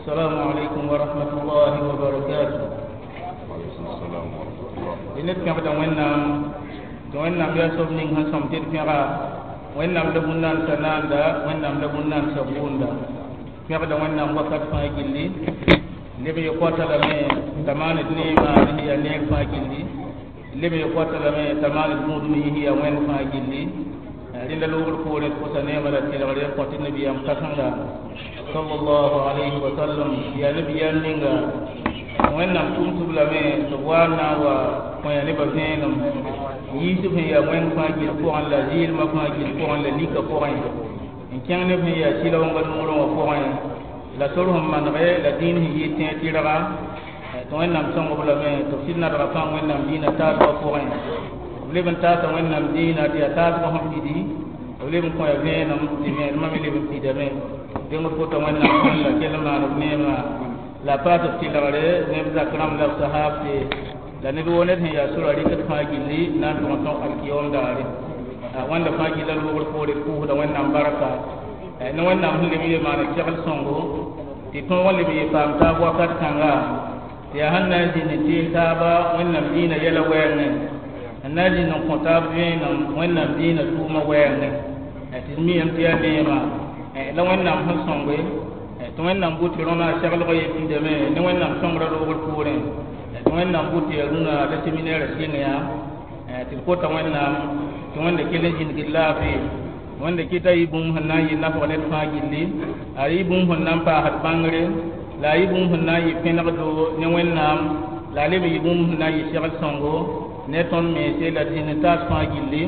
السلام عليكم ورحمة الله وبركاته. وعليكم السلام ورحمة الله. Ned pẽgda Wẽnnaam tɩ Wẽnnaam yaa soab ning sẽn sõm tɩ d pẽga Wẽnnaam la bũn-naansa naanda, Wẽnnaam la bũn-naansa bʋʋnda. Pẽgda Wẽnnaam wakat fãa gilli, leb ye koata lame t'a maan d neema ne yaa neer fãa gilli, leb ye koata lame t'a maan d gũudum yis yaa Wẽnd fãa gilli. Rẽnda loogr poorẽ d kosa neema la tɩlgre n kõ tɩ nabiyaam kãsenga sallallahu alayhi wa sallam, yaa nabiyaam ninga Wẽnnaam tʋm-tʋb lame tɩ b wa n na n wa kõ ya nebã vẽenem yiisb sẽn yaa wẽng fãa gill pʋgẽ la zɩɩlmã fãa gill pʋgẽ la lika pʋgẽ n kẽng neb sẽn yaa sɩla-wẽnga noorẽ wã pʋgẽ la sor sẽn manege la dĩin sẽn yɩ tẽeg tɩrga tɩ Wẽnnaam sõng-b lame tɩ b sɩd nadga fãa Wẽnnaam dĩinã taasgã pʋgẽ. B leb n taasa Wẽnnaam dĩinã tɩ yaa taasgã sẽn pidi, b leb n kõ ya vẽenem tɩ vẽenemã me leb n pidame. Dẽng d kota Wẽnnaam sẽn la kell n maan b neema la paas b tɩlgre neb zak rãmb la b sahaabte la ned woo ned sẽn yaa sora rɩkd fãa gilli na n tʋg n tõg alkiyom daare. Wẽnda fãa gilla loogr poore d pʋʋsda Wẽnnaam barka ne Wẽnnaam sẽn leb n ye maana segl sõngo tɩ tõog n leb n ye paam taab wakat kãnga tɩ yaa sẽn na n zĩnd n tees taaba Wẽnnaam dĩinã yɛla wɛɛngẽ, n na n zĩnd n kõ taab vẽenem Wẽnnaam dĩinã tʋʋmã wɛɛngẽ tɩ d miame tɩ yaa neema la Wẽnnaam sẽn sõnge tɩ Wẽnnaam bʋ tɩ rõna seglg ye pidame ne Wẽnnaam sõngrã loogr poorẽ tɩ Wẽnnaam bʋ tɩ yaa rũnã la seminɛɛrã sɩng yaa tɩ d kota Wẽnnaam tɩ Wẽnda kell n zĩndg d laafɩ. Wẽnda kɩta yɩ bũmb sẽn na n yɩ nafg ned fãa gilli, a yɩ bũmb sẽn na n paasd bãngre, la a yɩ bũmb sẽn na n yɩ pẽnegdo ne Wẽnnaam, la a leb n yɩ bũmb sẽn na n yɩ segl sõngo ne tõnd mense la d zĩnd n taas fãa gilli,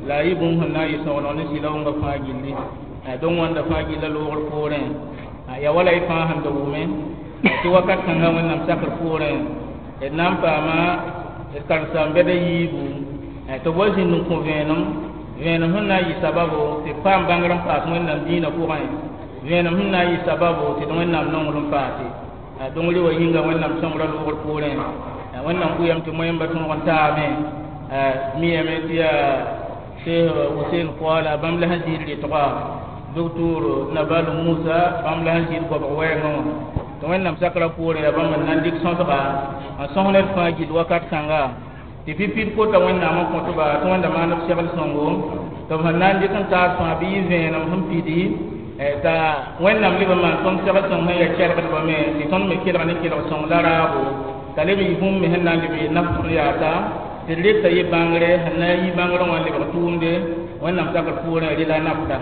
la a yɩ bũmb sẽn na n yɩ sõgeneg ne sɩla-wẽngã fãa gilli. Donc wãnda fãa gilla loogr poorẽ yaa wala y fãa sẽn da wʋme tɩ wakat kãngã Wẽnnaam sakr poorẽ d na n paama d karen-saam-bɛda yiibu tɩ b wa zĩnd n kõ vẽenem, vẽenem sẽn na n yɩ sababo tɩ d paam bãngr n paas Wẽnnaam dĩinã pʋgẽ, vẽenem sẽn na n yɩ sababo tɩ d Wẽnnaam nonglem paase. Donc rɩ wa yĩnga Wẽnnaam sõngrã loogr poorẽ Wẽnnaam bʋyame tɩ moẽmba tõog n taame miyame tɩ yaa Cheikh Hussein Koala bãmb la sẽn zĩid rɩtga docteur Nabal Musa bãmb la sẽn zĩid goabg wɛɛngã wã tɩ Wẽnnaam sakrã poorẽ yaa bãmb n na n dɩk sõsga n sõs ned fãa gill wakat kãnga tɩ pipi d kota Wẽnnaam n kõtba tɩ Wẽnda maan b segl sõngo tɩ b sẽn na n dɩk n taas fãa bɩ yɩ vẽenem sẽn pidi t'a Wẽnnaam leb n maan tõnd segl sõng sẽn yaa kelgdbã me tɩ tõnd me kelg ne kelg sõng la raabo t'a leb n yɩ bũmb me sẽn na n leb n yɩ naf tõnd yaata tɩ d reta yɩ bãngre sẽn na n yi bãngrã wã n lebg tʋʋmde Wẽnnaam sakr poorẽ rɩ la nafda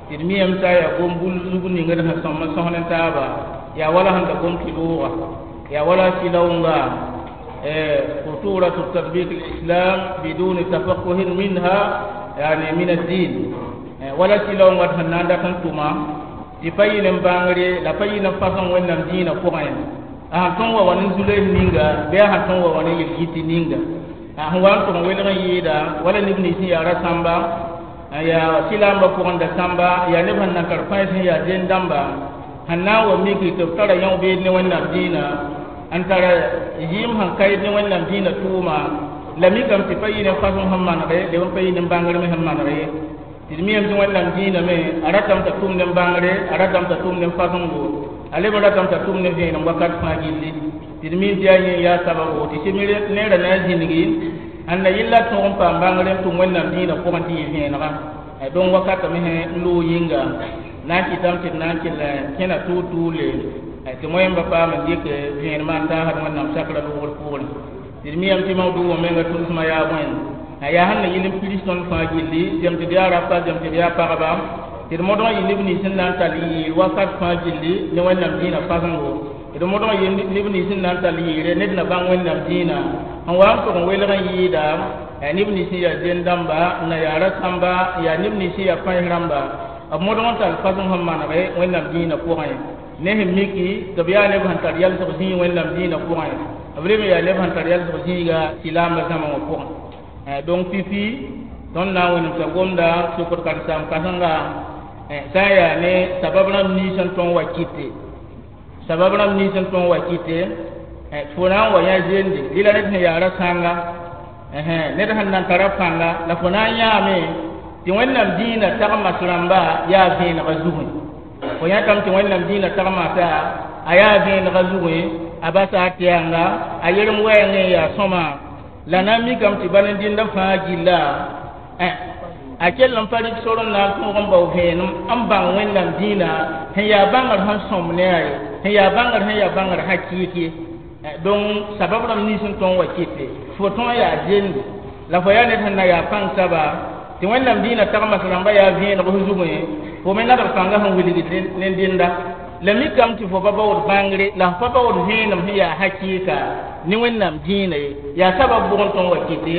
tɩ d miyame t'a yaa gom bul zug ning d sẽn sõm n sõs ne taaba yaa wala sẽn da gom tɩ-looga yaa wala sɩlaoonga خطورة تطبيق الإسلام بدون تفقه منها يعني من الدين wala sɩlaoongã sẽn na n dat n tʋma tɩ pa yɩl n bãngre la pa yɩl n fasẽn Wẽnnaam dĩinã pʋgẽ a sẽn tõn wa wa ne zules ninga bɩ a sẽn tõn wa wa ne yel-yit ninga a sẽn wa n tʋg n welg n yɩɩda wala neb nins sẽn yaa rasãmba n yaa sɩlaambã pʋgẽ da sãmba yaa neb sẽn na n tar pãens sẽn yaa zend dãmba sẽn na n wa miki tɩ b tara yão-beed ne Wẽnnaam dĩinã n tara yɩɩm sẽn kaɩd ne Wẽnnaam dĩinã tʋʋma la mikame tɩ pa yɩ ne fasem sẽn manege leb n pa yɩ ne bãngr me sẽn maneg ye tɩ d miyame tɩ Wẽnnaam dĩinã me a ratame t'a tʋm ne bãngre, a ratame t'a tʋm ne fasẽngo, a leb n ratame t'a tʋm ne vẽenem wakat fãa gilli tɩ d min tɩ yaa yẽ yaa sababo tɩ sɩm neerã na n zĩngi ãnda yella tõog n paam bãngre n tʋm Wẽnnaam dĩinã pʋgẽ tɩ yɩ vẽenega. Donc wakatame sẽn n loog yĩnga na n kɩtame tɩ d na n kell kẽna tʋʋl-tʋʋle tɩ moẽmba paam n dɩk vẽenemã n taasd Wẽnnaam sakrã loogr poorẽ tɩ d miyame tɩ mawdu wã menga tʋlsmã yaa bõe yaa sẽn na yɩl n pirs tõnd fãa gilli zem tɩ d yaa rapa zem tɩ d yaa pagba tɩ d modg n yɩ neb nins sẽn na n tall yɩɩr wakat fãa gilli ne Wẽnnaam dĩinã fasẽngo, tɩ d modg n yɩ neb nins sẽn na n tall yɩɩre ned na bãng Wẽnnaam dĩinã sẽn wa n tʋg n welg n yɩɩda neb nins sẽn yaa zend dãmba n na yaa rasãmba yaa neb nins sẽn yaa pãens rãmba b modg n tall fasẽng sẽn manege Wẽnnaam dĩinã pʋgẽ ne sẽn miki tɩ b yaa neb sẽn tar yalsg zĩig Wẽnnaam dĩinã pʋgẽ, b leb n yaa neb sẽn tar yalsg zĩiga silaambã zãma wã pʋgẽ. Donc fifi tõnd na n wẽnemsa gomda sokd karen-saam kãsenga sã n yaa ne sabab rãmb nins n tõn wa kɩte, sabab rãmb nins n tõn wa kɩte fo na n wa yã zende rɩla ned sẽn yaa rasãnga ned sẽn na n tara pãnga la fo na n yãame tɩ Wẽnnaam dĩinã tagmas rãmba yaa vẽenegã zugẽ fo yãtame tɩ Wẽnnaam dĩinã tagmasa A yaa vẽenegã zugẽ a basa a tɛɛnga a yerem wɛɛngẽ yaa sõma la na n mikame tɩ bal n dĩndã fãa gilla a kell n pa rɩk sor n na n tõog n bao vẽenem n bãng Wẽnnaam dĩinã sẽn yaa bãngr sẽn sõm ne a ye sẽn yaa bãngr sẽn yaa bãngr hakɩɩk ye donc sabab rãmb nins n tõnd wa kɩte fo tõe yaa zende la fo yaa ned sẽn na yaa pãng saba tɩ Wẽnnaam dĩinã tagmas rãmba yaa vẽeneg f zugẽ fo me nadg pãngã sẽn wilgd ne dẽnda la mikame tɩ fo pa baood bãngre la f pa baood vẽenem sẽn yaa hakɩɩka ne Wẽnnaam dĩinã ye yaa sabab bʋg n tõnd wa kɩte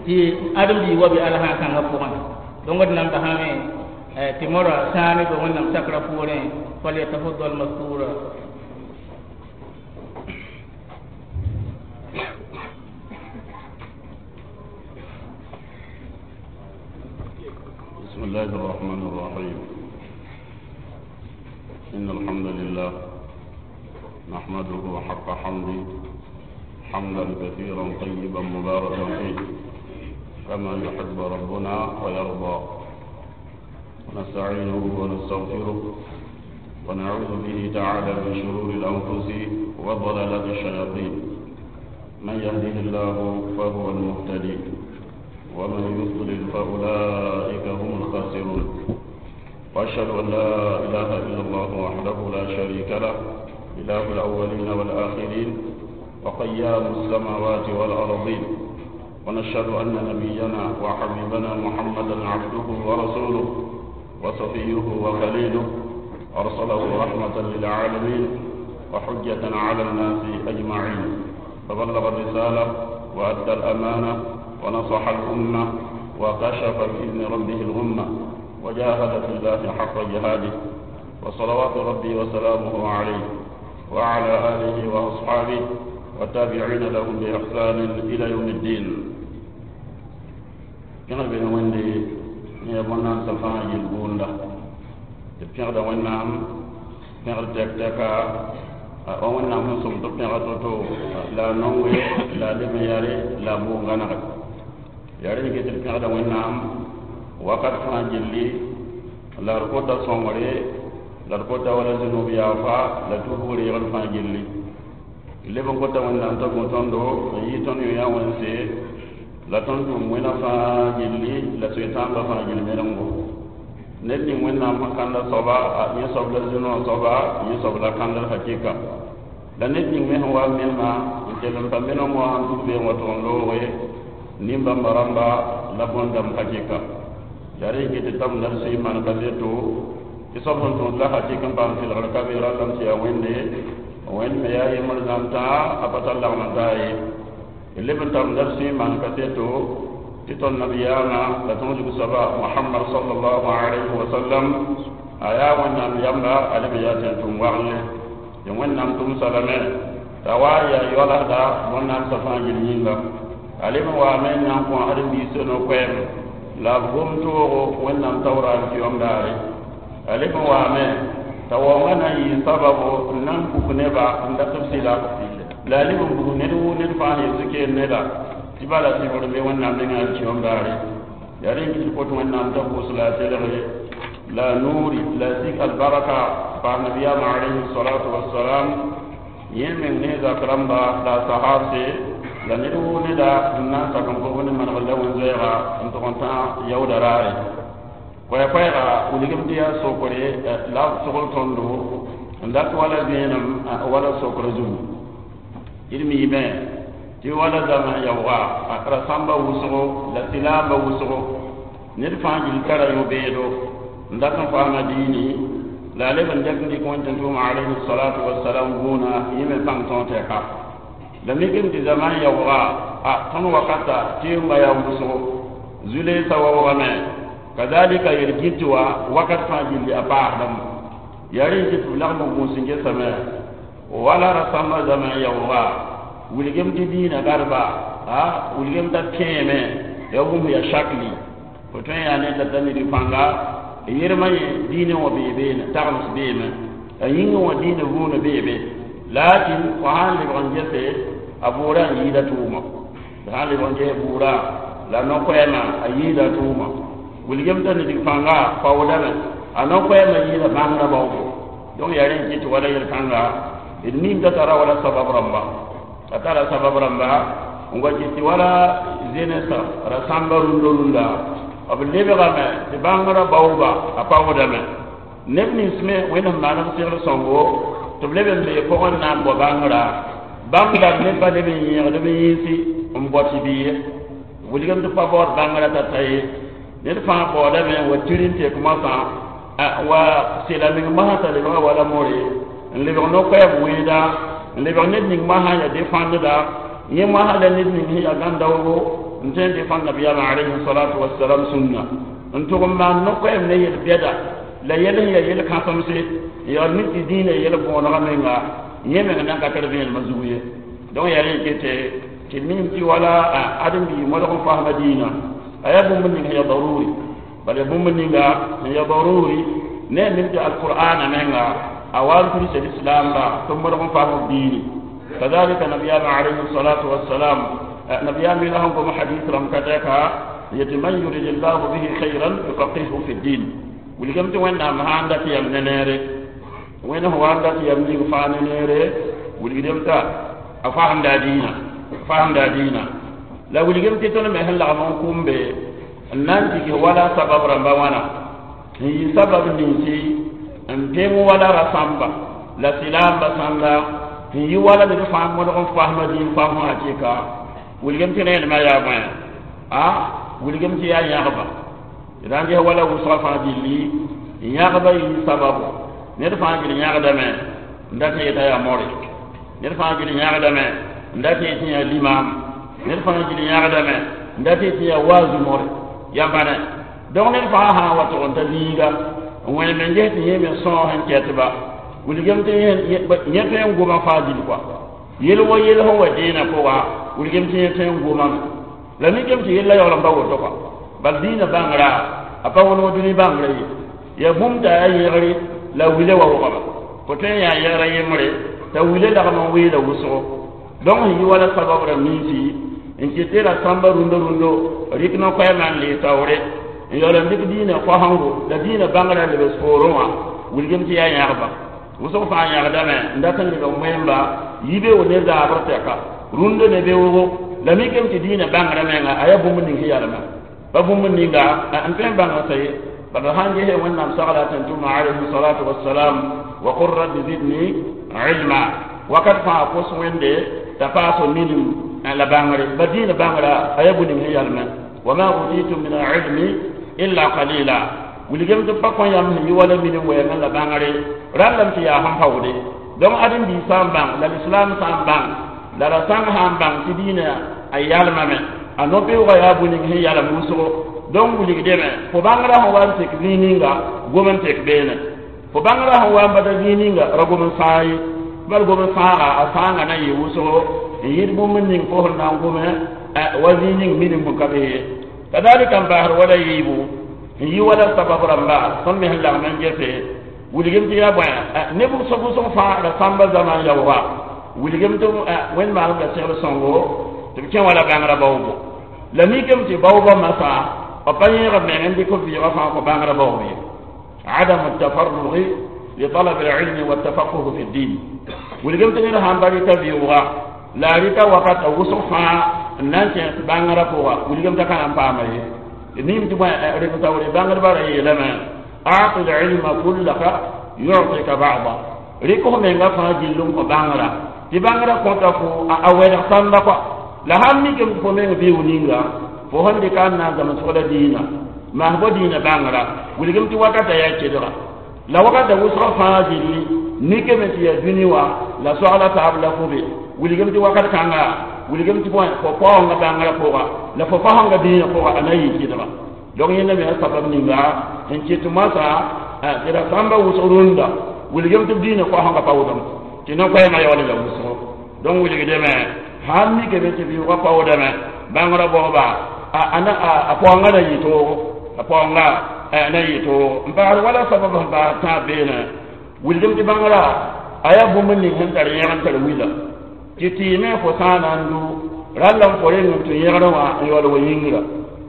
tɩ ãdem-biig wa be alsã-kãngã pʋgẽ donc d nan basame tɩ mora sãame be Wẽnnaam sakrã poorẽ falyatafaddal maskura. بسم الله الرحمن الرحيم. إن الحمد لله نحمده حق حمده حمدا كثيرا طيبا مباركا فيه كما يحب ربنا ويرضى، ونستعينه ونستغفره ونعوذ به تعالى من شرور الأنفس وضلالات الشياطين. من يهده الله فهو المهتدي ومن يضلل فأولئك هم الخاسرون. وأشهد أن لا إله إلا الله وحده لا شريك له إله الأولين والآخرين وقيام السماوات والأرضين. ونشهد أن نبينا وحبيبنا محمدا عبده ورسوله وصفيه وخليله، أرسله رحمة للعالمين وحجة على الناس أجمعين، فبلغ الرسالة وأدى الأمانة ونصح الأمة وكشف بإذن ربه الغمة وجاهد في الله حق جهاده. وصلوات ربي وسلامه عليه وعلى آله وأصحابه والتابعين لهم بإحسان إلى يوم الدين. كما بين وندي يبنى سفا يلبوندا تبيغ وينام بيغ تك تكا وينام سوم تبيغ توتو لا نوي لا لمياري لا بوغانا yare ke tɩ pẽgda Wẽnnaam wakat fãa gilli la d kota sõngre la d kota wala zũnub yaafa la tubg reegd fãa gilli leb n kota Wẽnnaam t'a gõ tõndo n yɩ tõnd yõ yaa wẽnse la tõnd tʋm wẽna fãa gilli la soetãambã fãa gill merengo ned ning Wẽnnaam sẽn kãnda soaba yẽ soab la zũnã soaba yẽ soab la kãndr hakɩka la ned ning me sẽn wa menema n kell n pa meneng wã sẽn tʋg beeng wa tʋg n looge nimbãmba rãmba la bõn-dãmb hakɩka yaa rẽ yikɩ tɩ tab nar sẽn maan kaseto tɩ soab sẽn tõod la hakɩk n paam sɩlgr ka be rallame tɩ yaa Wẽnde Wẽnd me yaa yembr zãmtã a pa tar lagm n taa ye d leb n tab nar sẽn maan kaseto tɩ tõnd nabiyaamã la tõog zug soaba Mohamad sallallahu alayhi wa sallam a yaa Wẽnnaam yamba a leb n yaa tẽn-tʋm wagle tɩ Wẽnnaam tʋmsa lame t'a wa yaa yoalasda bõn-naamsã fãa gill yĩnga a leb n waame n na n kõ ãdem-biisã no-koɛɛm la b gom toogo Wẽnnaam taoora n tɩ yõm daare a leb n waame t'a waoongã na n yɩ sababo n na n buk neba n dat b sɩla la a leb n bug ned wʋ ned fãa sẽn yet keen neda tɩ bala sɩbgr be Wẽnnaam nengã n tɩ yõm daare yaa rẽ n kɩt kot Wẽnnaam t'a pʋʋs la a telge la a nuuri la a sik albarka paas nabiyaamã alayhi salatu wassalam yẽ meng ne zak rãmba la a sahabse la ned wʋ neda n na n sak n gom ne manegr la wẽn-zoɛɛga n tʋg n tã yaooda raare koɛɛ-koɛɛga wilgem tɩ yaa sokre la b sogl tõndo n dat wala vẽenem wala sokr zugu d miime tɩ wala zama yaooga rasãmba wʋsgo la silaamba wʋsgo ned fãa gill tara yõ-beedo n dat n faama diini la a leb n dɛk n dɩk wẽn tɩ n tʋʋm alayhi salatu wasalam vũuna yẽ me pãng tõog tɛka la mikem tɩ zaman yaooga a tõnd wakata tɩ yẽmba yaa wʋsgo zu-leesã waoogame kazalika yel-gɩt wa wakat fãa gilli a paasdame yaa rẽ tɩ b lagm n gũus n gesame wala rasãmbã zama yaooga wilgem tɩ diinã garba a wilgem t'a kẽeme yaa bũmb yaa shakli fo tõe n yaa ned la t'a ned pãnga yẽrmã yẽ diinẽ wã bee beene tagms beeme a yĩngẽ wã diinã vũunã beebe lakin fo sãn lebg n gese a bʋʋrã n yɩɩda tʋʋma sãn lebg n ges bʋʋrã la no-koɛɛmã a yɩɩda tʋʋma wilgem t'a ned pãnga paoodame a no-koɛɛmã yɩɩda bãngrã baoogo donc yaa rẽ n kɩt wala yel-kãnga D nim t'a tara wala sabab rãmba, a tara sabab rãmba n wa kɩ tɩ wala zenesa rasãmba rũndã rũndã b lebgame tɩ bãngrã baooba a paoodame. Neb nins me Wẽnd maan b segl sõngo tɩ b leb n bee pʋgẽ n na n bao bãngrã, bãmb dãmb ne pa leb n yẽgd b yĩnsi n bao tɩ bɩ ye wilgem tɩ pa baood bãngrã t'a ta ye. Ned fãa baoodame n wa tir n tek moasã wa sela meng mosã t'a lebga wala more n lebg no-koɛɛm wẽeda, n lebg ned ning mosã yaa defãndda yẽ mosã la ned ning sẽn yaa gãn-daoogo n tõe n defãnd nabiyaamã alayhi salatu wasalam sũnna n tʋg n maan no-koɛɛm ne yel-bɛda la yɛl sẽn yaa yel-kãsemse n yaool mik tɩ dĩinã yɛl bõonegã menga yẽ meng nan ka tar vẽenemã zug ye. Donc yaa rẽ kete tɩ mim tɩ wala ãdem-biig modg n fasma dĩinã a yaa bũmb ning sẽn yaa daruri, bala bũmb ninga sẽn yaa daruri ne a mim tɩ alqur'ana menga a wa n tudsa lislaamba tɩ modg n fasm b diini. Kadalika nabiyaamã alayhi salatu wassalam, nabiyaam yẽla sẽn gom hadis rãmb ka tɛka yetɩ man yurid llahu bihi khayran yufaqihu fi ddin. Wilgame tɩ Wẽnnaam sãn dat yam ne neere, Wẽnd sẽn wa n dat yam ning fãa ne neere, wilgdame t'a a fasemda a dĩinã, fasemda a dĩinã. La wilgame tɩ tõnd me sẽn lagm n kʋmbe n na n dig wala sabab rãmba wãna n yɩ sabab ninsi n peng wala rasãmba la silaamba sãnda n yɩ wala ned fãa modg n fasma dĩin fasmã akɩka. Wilgame tɩ rẽenemã yaa bõe? A wilgame tɩ yaa yãgba d na n ges wala wʋsgã fãa gilli yãgba yɩ sababu. Ned fãa gil yãgdame n dat n yeta yaa more, ned fãa gil yãgdame n dat n yetɩ yaa limam, ned fãa gil yãgdame n dat n yetɩ yaa waazu more yãmba ne. Donc ned fãa sã n wa tʋg n ta zĩiga n wẽnem n ges tɩ yẽ me sõos n kɛtba, wilgame tɩ yẽ tõe n goma fãa gill kɔa yel wa yel sẽn wa dẽenã pʋga, wilgame tɩ yẽ tõe n gomame la mikame tɩ yella yaool n pa woto kɔa. Bal dĩinã bãngrã a pa wõneg dũni bãngrã ye, yaa bũmb t'a yaa yẽgre la wile wa wʋgba fo tõe n yaa yɛgra yembre t'a wile lagm n weela wʋsgo. Donc sẽn yi wala sabab rãmb ninsi n kɩt tɩ rasãmba rũndã rũndo rɩk no-koɛɛmã n lee taoore n yaool n dɩk dĩinã koasengo la dĩinã bãngrã lebs poorẽ wã, wilgame tɩ yaa yãgba wʋsg fãa yãgdame n dat n lebg wẽmba yibeoog ne zaabr tɛka rũndã ne beoogo. La mikame tɩ dĩinã bãngrã menga a yaa bũmb ning sẽn yalmã pa bũmb ninga n tõe n bãnga t'a ye. Bala sãn gese Wẽnnaam sagla tẽn-tʋma alayhi salatu wassalam wa qul rabbi zidni ilma wakat fãa kos Wẽnde t'a paas minim la bãngre ba dĩinã bãngra a yaa bũ-ning sẽn yalmẽ wa ma utitum min alilmi illa qalila. Wilgame tɩ pa kõ yãmb sẽn yɩ wala minim wɛɛngẽ la bãngre rãllame tɩ yaa sẽn paoode. Donc ãdem-biig sã n bãng la lislaam sã n bãng la rasãng sã n bãng tɩ dĩinã a yalmame a no-beoogã yaa bũ-ning sẽn yalem wʋsgo. Donc wilgdame fo bãngrã sẽn wa n tek zĩig ninga gom n tek beene, fo bãngrã sẽn wa n bata zĩig ninga ra gom n sãag ye, bal gom n sãaga a sãangã na n yɩ wʋsgo n yɩɩd bũmb ning fo sẽn na n gome wa zĩig ning minim sẽn ka be ye. Kadalika n basd wala yiibu n yɩ wala sabab rãmba tõnd me sẽn lagm n gese wilgem tɩ yaa bõe ne wʋsg wʋsg fãa rasãmba zãma n yaooga wilgem tɩ Wẽnd maaneb la segl sõngo tɩ b kẽ wala bãngrã baoogo. La mikame tɩ baoobã masã b pa yẽeg b meng n dɩk b vɩɩgã fãa kõ bãngrã baoob ye. Adamu tafarrugi li talab alilmi waltafaquhu fi ddin. Wilgem tɩ ned sãn pa rɩta vɩʋʋga la a rɩta wakat a wʋsg fãa n na n kẽes bãngrã pʋga, wilgem t'a ka na n paama ye. Nim tɩ bõe rem taoore bãngdbã ra yeelame a'ti lilma kullaka yu'tika ba'da, rɩk f menga fãa gill n kõ bãngrã tɩ bãngrã kõta fo a wɛlg sãmba kɔa. La sãn mikame tɩ fo meng vɩʋʋg ninga fo sẽn dɩka n na n zãmsg la dĩinã maas bo dĩinã bãngrã, wilgem tɩ wakata yaa kelga la wakata wʋsgã fãa gilli mikame tɩ yaa dũni wã la soagla taab la fo be, wilgem tɩ wakat kãnga wilgem tɩ bõe fo paoonga bãngrã pʋga la fo fasẽnga dĩinã pʋga a na n yɩ kɩdga. Donc yẽnda me yaa sabab ninga n kɩt moasã tɩ rasãmba wʋsg rũndã wilgem tɩ b dĩinã koasẽnga paoodame tɩ no-koɛɛmã yaool n ya wʋsgo. Donc wilgdame sãn mikame tɩ vɩʋʋgã paoodame bãngrã baooba a paoongã na yɩ toogo, a paoongã na yɩ toogo n paasd wala sabab sẽn paas tãab beene wilgem tɩ bãngrã a yaa bũmb ning sẽn tar yẽg n tar wila tɩ tɩɩme fo sã na n du ralla n fo reng n tũ yẽgrẽ wã n yaool wa yĩngra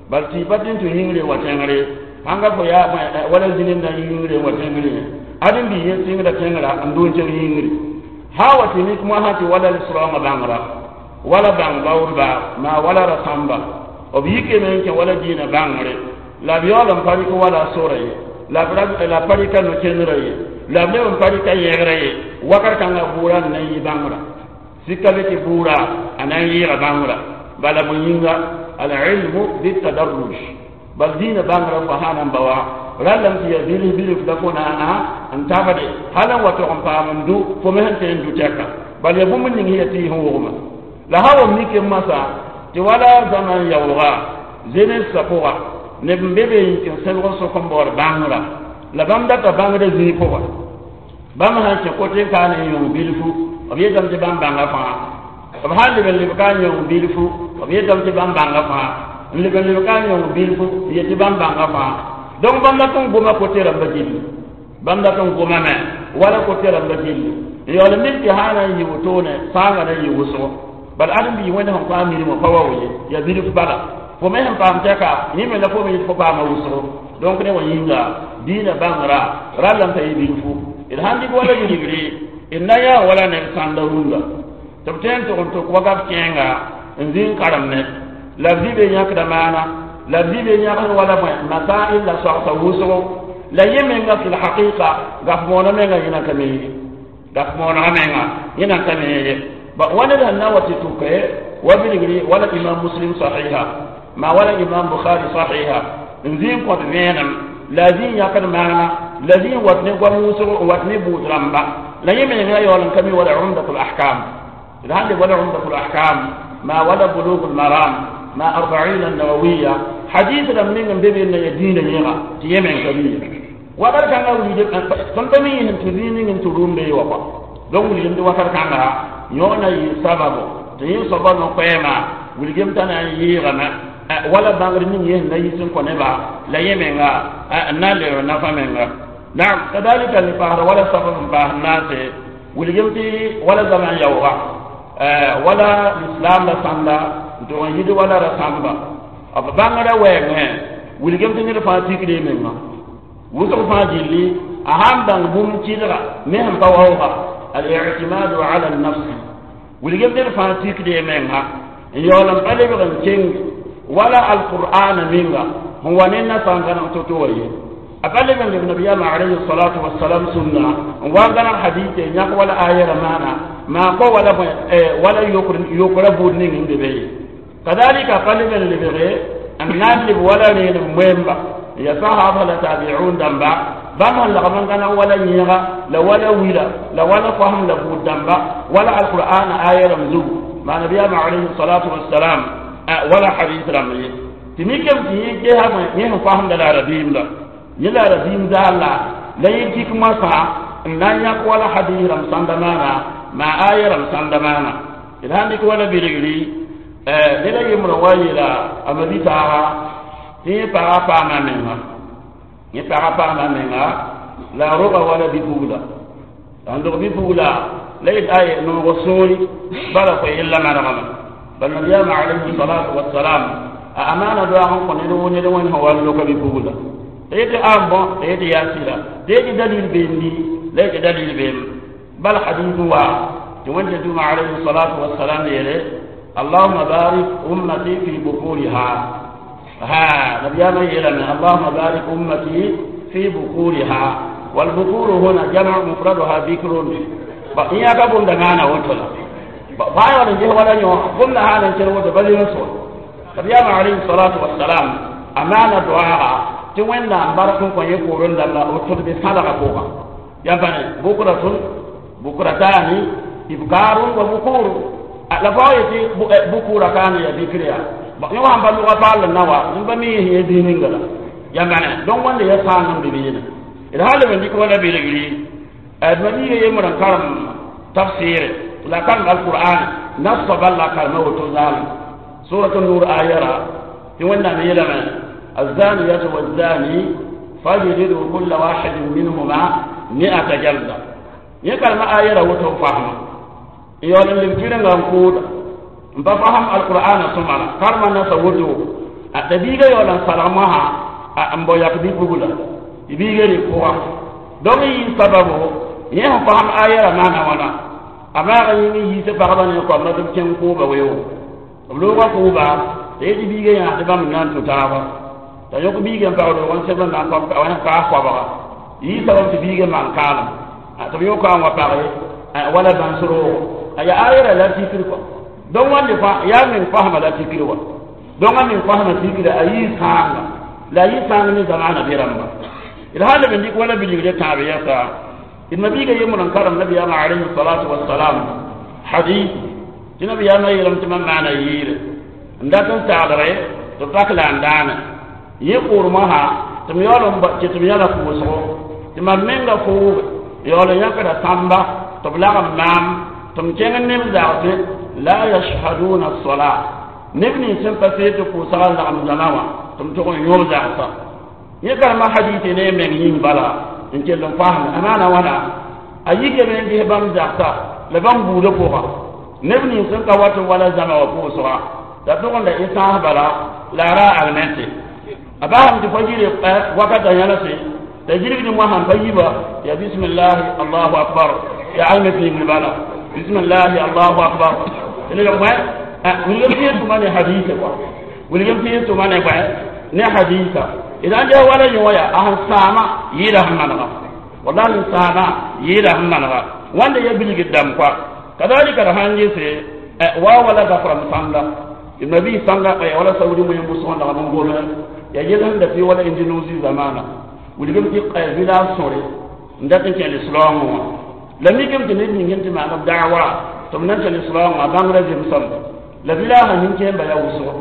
bal tɩ pa tɩ n tũ yĩngre wa tẽngre sãnga fo yaa wala zĩnem na yĩngre wa tẽngre ãdem-biig yẽ sɩngda tẽngra n dʋ n kẽng yĩngre Hawa tɩ mik moasã tɩ wala sraoongã bãngra wala bãng baoodba maa wala rasãmba b yikame n kẽ wala dĩinã bãngre la b yaool n pa rɩk wala sora ye la b pa rɩka no-kẽndrã ye la b leb n pa rɩka yẽgrã ye wakat kãngã bʋʋra n na n yɩ bãngra sika be tɩ bʋʋra a na n yɩɩga bãngra bala bõe yĩnga al-ilmu bitadarruj bal dĩinã bãngrã fo sã na n ba wa rallame tɩ yaa bilf bilf la fo na n tabde hal n wa tog n paam n du fo me sẽn tõe n du tɛka bal yaa bũmb ning sẽn yaa tɩ y sẽn wogma la sã wa mike masã tɩ wala zaman yaooga zenesã pʋga neb n be be n kẽ sẽbg n sok n baood bãngra la bãmb data bãngda zĩig pʋga bãmb sãn kẽ kote n kaa ne n yõng bilfu b yetame tɩ bãmb bãnga fãa b sãn leb n leb ka n yõng bilfu b yetame tɩ bãmb bãnga fãa n leb n leb ka n yõng bilfu n yet tɩ bãmb bãnga fãa donc bãmb dat n goma kote rãmba gilli bãmb dat n gomame wala kote rãmba gilli n yaool n mik tɩ sã na n yɩ wotone sãangã na n yɩ wʋsgo bal ãdem-biig wẽnd sẽn kõ a mirmã pa wa ye yaa bilf bala fo me sẽn paam tɛka yẽ me la fo me yet fo paama wʋsgo donc ne wa yĩnga dĩinã bãngra rallame t'a yɩ bilfu d sãn dɩk wala bilgre d na yaa wala neb sãnda rũndã tɩ b tõe n tʋg n tʋk wakat kẽenga n zĩ n karemne la b zĩ be yãkda maana la b zĩ be yãgsd wala bõe masail la soagsa wʋsgo la yẽ menga fi lhaqiqa gaf moonã menga yẽna ka me ye gaf moonegã menga yẽna ka me ye ba wa ned sẽn na wa tɩ tʋke wa bilgre wala imam Muslim sahiha ma wala imam Bukhari sahiha n zĩ n kõt vẽenem la a zĩ n yãkd maana la zĩ n wat ne goam wʋsg n wat ne bʋʋd rãmba la yẽ menga yaool n ka mi wala Umdat lahkam d sãn leb wala Umdat lahkam ma wala Bulug lmaram ma Arbain annawawiya hadith rãmb ning n be be n na ya dĩinã yẽga tɩ yẽ meng ka mi ye wakat kãngã wilg tõnd pa mi yẽsem tɩ zĩig ning n tɩ rũmbe ye wa kɔa donc wilgem tɩ wakat kãnga yõ na yɩ sababo tɩ yẽ soaba no-koɛɛma wilgem t'a na n yɩɩgame wala bãngr ning yẽ sẽn na yis n kõ neba la yẽ menga n na n lebg nafa menga naam kadalika le paasda wala sabab n paas n naase wilgem tɩ wala zaman yaooga wala lislam la sãnda n tʋg n yid wala rasãmba b bãngrã wɛɛngẽ wilgem tɩ ned fãa tikd y menga wʋsg fãa gilli a sãn bãng bũmb kɩdga me sẽn pa waooga al-i'timadu ala an-nafs wilgem ned fãa tikd y menga n yaool n pa lebg n keng wala alqur'ana menga sẽn wa ne nasã n gãneg to-to wa ye a pa leb n leb nabiyaamã alayhi salatu wasalam sũnna n wa n gãneg hadite yãk wala ayɛra maana maa kɔ wala bõe wala yokra buud ning n be be ye kadalika pa leb n lebge n na n leb wala reenem moemba ya sahaba la tabi'un dãmba bãmb sẽn lagm n gãneg wala yẽega la wala wila la wala fosem la buud dãmba wala alqur'ana aya rãmb zugu maa nabiyaamã alayhi salatu wasalam wala hadis rãmb ye tɩ mikame tɩ yẽ gesa bõe yẽ sẽn fosẽmda la rabiim la yẽ la rabiim zaal la la yẽ kik moasã n na n yãk wala hadis rãmb sãnda maana maa aya rãmb sãnda maana d sãn dɩk wala bilgri ned a yembrã wa yeela a mabi-taaga tɩ yẽ paga paama menga yẽ paga paama menga la a roga wala bi-pugla la n dog bi-pugla la yet ay noog sũuri bala fo yella manegame bal nabiyaamã alayhi salatu wasalam a amaana doaag n kõ ned wʋ ned wẽnd sẽn wa n loka bi-pugla t'a yetɩ a bõ t'a yetɩ yaa sɩda t'a yetɩ dalil beemdi la yetɩ dalil beem bal hadith wa tɩ wẽnd tɩ tʋma alayhi salatu wasalam yeele اللهم بارك أمتي في بكورها ها نبينا يلم اللهم بارك أمتي في بكورها والبكور هنا جمع مفردها بكر إن يكبون دمانا وتلا بايا ولا جه ولا يوم قمنا هذا الشيء وده بل ينصر نبينا عليه الصلاة والسلام أمانة دعاء توين لا بارك كون يقولون لا وتد بصدقة فوق يعني بكرة بكرتان إبكار وبكور la fo yetɩ bukura kaane ya bikr ya yẽ wã n pa lʋga paal n na wa n pa mi yẽ zĩig ninga la yãmbane donc wẽnda ya sãang n be be yẽne d sã leb n dɩk wala bilgri d mabiiga yembr n karem tafsɩɩre la karem alqur'an nasa bal la karema woto zaalem surat nur ayara tɩ wẽnnaam yeelame الزانية والزاني فاجلدوا كل واحد منهما مئة جلدة yẽ karema ayara woto fahma yaool n leb tʋrengã n kʋʋda n pa fasem alqur'ana sõmara karema nasa woto a t'a biiga yaool n salg mosã n bao yak bi-pugla tɩ biiga rɩ pʋga donc yɩ sababo yẽ sẽn fasem ayara maana wãna A maaga yĩng n yiisa pagba ne koamã tɩ b kẽng kʋʋba weoogo b looga kʋʋba t'a yetɩ biiga yãasd bãmb n na n tũ taaba t'a yõk biiga n pag roog n seb n na n kaas koabga yɩ sabab tɩ biiga maan kaalem tɩ b yõka n wa page wala bãns roogo a yaa ayra la tikr kɔ donc wãnde fãa yaa meng fasma la tikr wa donc a meng fasma tikra a yɩ sãanga la a yɩ sãang ne zamaana be rãmba d sã leb n dɩk wala bilgre tãab yɛsa d mabiiga yembr n karem nabiyaamã alayhi salatu wasalam hadith tɩ nabiyaamã yeelame tɩ mam maana yɩɩre n dat n saglre tɩ pak la n daane yẽ kʋʋrmã sã tɩ m yaool n tɩ m yãla pʋʋsgo tɩ mam menga fʋʋge yaool n yãkda sãmba tɩ b lagem maam tɩ m kẽng neb zagse la yashhaduna sola neb nins sẽn pa see tɩ pʋʋsga n lagem zãma wã tɩ m tʋg n yõog zagsa yẽ karema hadite ne meng yĩng bala n kell n fasme a maana wãna a yikame n ges bãmb zagsa la bãmb buudã pʋga neb nins sẽn ka wat n wala zãma wã pʋʋsga t'a tʋg n la sãas bala la a ra agnɛte a basame tɩ fo yɩre wakata yãlse t'a yirgd moasã pa yiba ya bisimillahi allahu akbar ya alme pĩigr bala bisimillahi allahu akbar wilgem tɩ yel tʋma ne hadisa kɔa wilgem tɩ yel tʋma ne bõe ne hadisa d sãn ges wala yõ ya a sẽn sãama yɩɩda sẽn manega wallahi n sãama yɩɩda sẽn manega wãnda ya bilgd dãmb kɔa kadalika d sãn gese wa wala zafrãmb sãnda d mabiis sãnga wala saudi moẽ wʋsg n lagm n gome ya yel sẽn da fɩ wala indonésie zamana wilgem tɩ village sõre n dat n kẽ lislaoongẽ wã la mikame tɩ ned ning sẽn tɩ maan b daawa tɩ b na n kẽ lislaoongã bãngrã zemsame la village nin-kẽemba yaa wʋsgo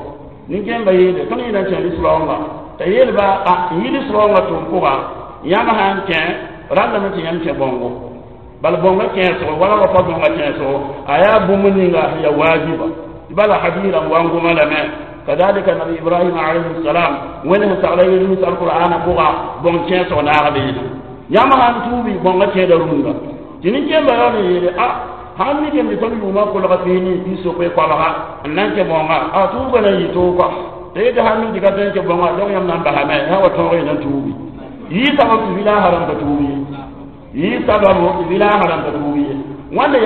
nin-kẽemba yeele tõnd yẽ na n kẽ lislaoongã t'a yeelba n yɩ lislaoongã tʋm pʋga yãmb sã n kẽ rãndame tɩ yãmb kẽ bõngo bal bõngã kẽesgo wala wa pa bõngã kẽesgo a yaa bũmb ninga sẽn yaa waajiba tɩ bala hadiis rãmb wa n goma lame kadalika nabi ibrahim alayhi salam wẽnd sẽn sagla yel alqur'ana pʋga bõng kẽesg naag beene yãmb sãn tuubi bõngã kẽeda rũndã tɩ nin-kẽemba yaool n yeele a sãn mikame tɩ tõnd yʋʋmã kolga piini tɩ sokoe koabga n na n kẽ bõnga a tuubã na n yɩ toog kɔa t'a yetɩ sãn mi tɩ ka tõe n kẽ bõnga donc yãmb na n basame sã wa tõog y na n tuubi yɩ sabab tɩ village rãmb ka tuub ye yɩ sababu tɩ village rãmb ka tuub ye wãnda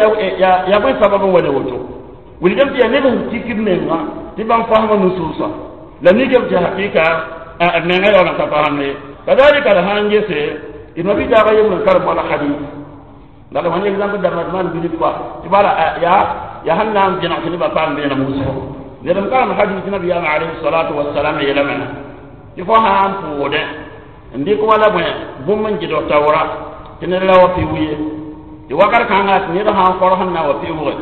ya bõe sabab n wa ne woto wilgame tɩ yaa neb sẽn tikd menga tɩ bãmb fasma nusuusa la mikame tɩ hakɩka b menga yaool n ka fasemde kadalika d sãn gese d mabi daaga yembr n karem wala hadis la d exemple dãmba d maan bilf kɔa tɩ bala yaa sẽn na n vẽneg tɩ nebã paam vẽenem wʋsgo ned n karem hadis nabiyaamã alayhi salatu wasalam yeelame tɩ fo sã n pʋʋdẽ n dɩk wala bõe bũmb n gɩdg taoora tɩ ned ra wa pɩʋ ye tɩ wakat kãnga tɩ ned sã n kɔrs n na wa pɩʋʋge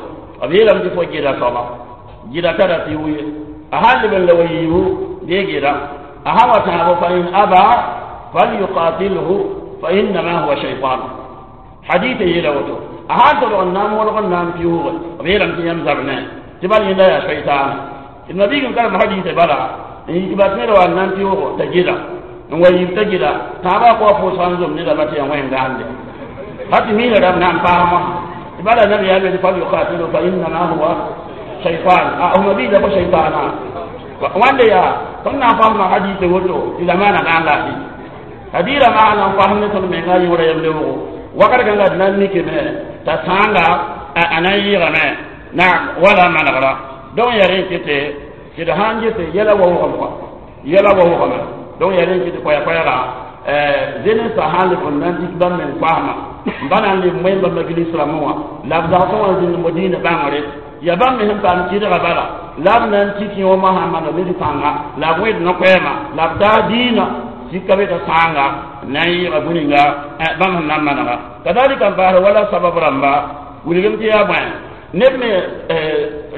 b yeelame tɩ fo gɩda soaba gɩda tara pɩʋ ye a sãn leb n la wa yiibu dee gɩda a sã wa tãabo fa in aba falyuqatilhu fa innama huwa shaytan hadith yeela woto a sãn tolg n na n mõlg n na n pɩʋʋge b yeelame tɩ yãmb zab ne tɩ bal yẽnda yaa shaytaana d mabiig n karem haditã bala n yik ba tẽed wa n na n pɩʋʋg t'a gɩda n wa yiib t'a gɩda tãabã kɔa pʋʋsga n zom nedã tɩ yaa wẽn-gaande ha tɩ miina rãmb na n paasmã tɩ bala nabiyaam yeel falyuqatilu fa innama huwa shaytan a f mabiigã fo shaytaana wãnde yaa tõnd na n fasma haditã woto tɩ zamaana gãanga hadira maana n fasm ne tõnd menga yõora yam lebgo wakat kãnga d na n mikame t'a sãanga a na n yɩɩgame na wala manegra donc yaa rẽ tɩ tɩ d sãn gese yɛla wa wʋgem kɔa yɛla wa wʋgame donc yaa rẽ tɩ koɛɛ-koɛɛga zenensã sãn leb n na n dɩk bãmb meng fasma n ba na n leb moẽmba maglis rãmbẽ wã la b zagsẽ wã zĩnd modĩinã bãngre ya bãmb me sẽn paam kɩdga bala la b na n tik yõomã sãn maneg ned pãnga la b wẽd no-koɛɛma la b taa dĩinã sika be t'a sãanga na n yɩɩga bũ-ninga bãmb sẽn na n manega kadalika n paasd wala sabab rãmba wilgem tɩ yaa bõe neb me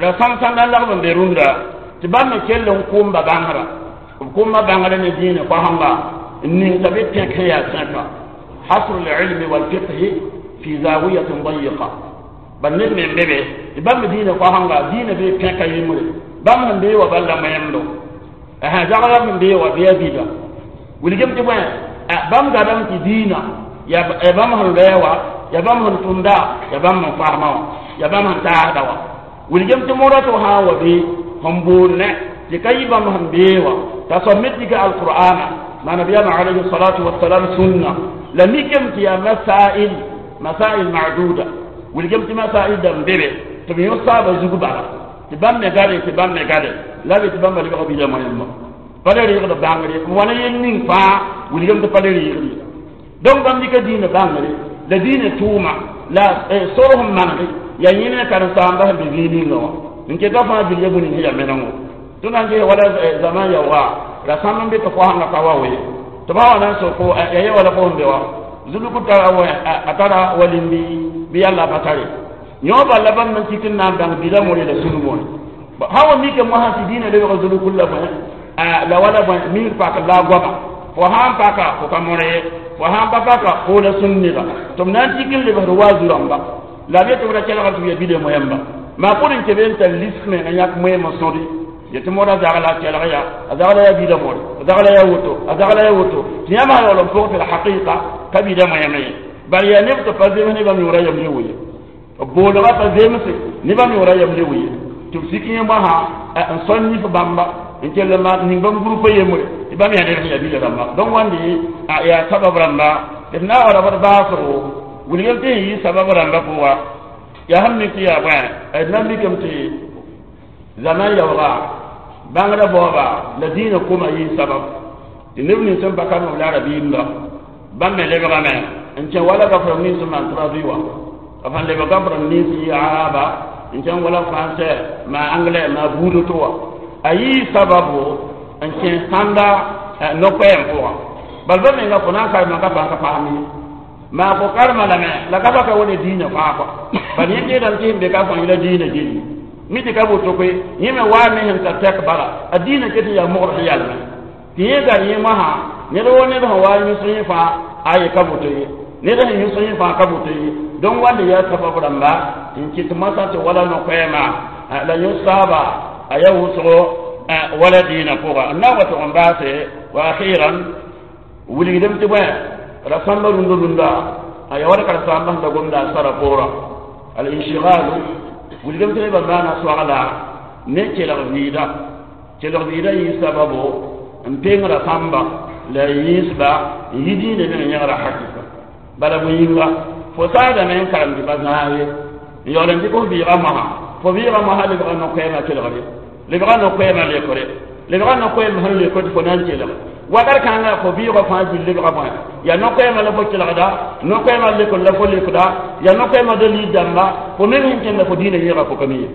ra sãm-sãndã lagb n be rũndã tɩ bãmb me kell n kʋʋmba bãngrã b kʋʋmba bãngrã ne dĩinã koasẽnga n ning t'a be pẽk sẽn yaa sẽka hasr lilmi walfiqhi fi zawiyatin dayiqa bal ned me n be be tɩ bãmb me dĩinã koasẽnga dĩinã bee pẽka yembre bãmb sẽn bee wa bal la moẽmdo zagla sẽn bee wa bɩ a bida wilgem tɩ bõe bãmb gadame tɩ dĩinã ya bãmb sẽn loɛɛ wa ya bãmb sẽn tʋmda ya bãmb sẽn fasma wã ya bãmb sẽn taasda wa wilgem tɩ moda tɩ sã n wa be sẽn boond tɩ ka yɩ bãmb sẽn bee wa t'a soab me dɩka alqur'ana ma nabiyama alayhi salatu wasalam sunna la mikame tɩ yaa masail masail maduda Wilgem tɩ masail dãmb be be tɩ b yõ saaba zug bala tɩ bãmb me gade tɩ bãmb me gade la be tɩ bãmba lebga bila moyẽmba pa le reegd bãngre wãna yel ning fãa wilgem tɩ pa le reegd ye. Donc bãmb dɩka dĩinã bãngre la dĩinã tʋʋma la sor sẽn manege yaa yẽ ne karen-saamba sẽn be zĩig ninga wã n keta fãa gill ya bũni sẽn yaa menengo tɩ na n ges wala zaman yaooga rasãmb n be tɩ koasẽnga ka wa we tɩ ba wa na n soko ya ye wala fo sẽn be wa zuluku tara a tara walindi bɩ yalla pa tare yõ bala bãmb n tik n na n bãng bila more la sũnu more sã wa mika mosã tɩ dĩinã lebg zulukul la bõe la wala bõe mik pak la goama fo sãn paka fo ka more ye fo sãn pa paka fo la sũn neda tɩ b na n tik n lebsd wa zu-rãmba la b yetɩ b ra kelgr tɩ b ya bida moyẽmba maa pʋd n kebe n tar lisk menga yãk moeemã sõde yetɩ moda zagla kelg ya a zagla yaa bida more a zagla yaa woto a zagla yaa woto tɩ yãmb sã yaool n pʋg tɩ la hakɩɩka ka bida moyẽme ye bala yaa neb tɩ pa zems ne bãmb yõora yam le ye b boolgã pa zemse ne bãmb yõora yam le ye tɩ b sik yẽ moasã n sõn nif bãmba n kell n maan ning bãmb gũrpã yembre tɩ bãmb yaa ned sẽn yaa bila rãmba donc wãnde yaa sabab rãmba d na wa ra b baasgo wilgem tɩ sẽn yɩ sabab rãmba pʋga yaa sẽn mik tɩ yaa bõe d na mikame tɩ zaman yaooga bãngrã baooba la dĩinã koma yɩ sabab tɩ neb nins sẽn pa karem la rabiimda bãmb me lebgame n kẽ wala gafrem nins n maan traduit wã b sẽn lebg gafrem nins yɩ araba n kẽng wala français ma anglais ma buud to wã a yɩ sababu n kẽ sãnda no-koɛɛm pʋgã bal ba menga fo na n karema ka paam ka paam ye maa fo karema lame la ka pa ka wala dĩinã fãa kɔa bal yẽ teedame tɩ sẽn be ka fõ yẽla dĩinã gilli mi tɩ ka woto koe yẽ me waa me sẽn tar tɛk bala a dĩinã ket n yaa mogr sẽn yalme tɩ yẽ gar yẽ mosã ned woo ned sẽn waa yũs yẽ fãa a ye ka woto ye ned sẽn yũs yẽ fãa ka woto ye donc wãnde yaa sabab rãmba n kɩt moasã tɩ wala no-koɛɛma la yũ saaba a yaa wʋsgo wala dĩinã pʋga n na n wa tʋg n baase wa akhiran wilgdem tɩ bõe rasãmba rũndã rũndã a ya wala karen-saambã sẽn da gomda a sara poorã al inshigalu wilgem tɩ nebã maana soagla ne kelg vɩɩda kelg vɩɩda yɩ sababo n peng rasãmba la yĩsba n yi dĩinã meng yẽgra hakɩka bala bõe yĩnga fo saadame n karem tɩ pa zãag ye n yaool n dɩk f vɩɩgã mosã fo vɩɩgã mosã lebga no-koɛɛmã kelgre lebga no-koɛɛmã lekre lebga no-koɛɛm sẽn lekr tɩ fo na n kelg wakat kãnga fo vɩɩgã fãa gill lebga bõe yaa no-koɛɛmã la fo kelgda no-koɛɛmã lekr la fo lekda yaa no-koɛɛmã dalil dãmba fo meng sẽn kẽnda fo dĩinã yẽega fo ka mi ye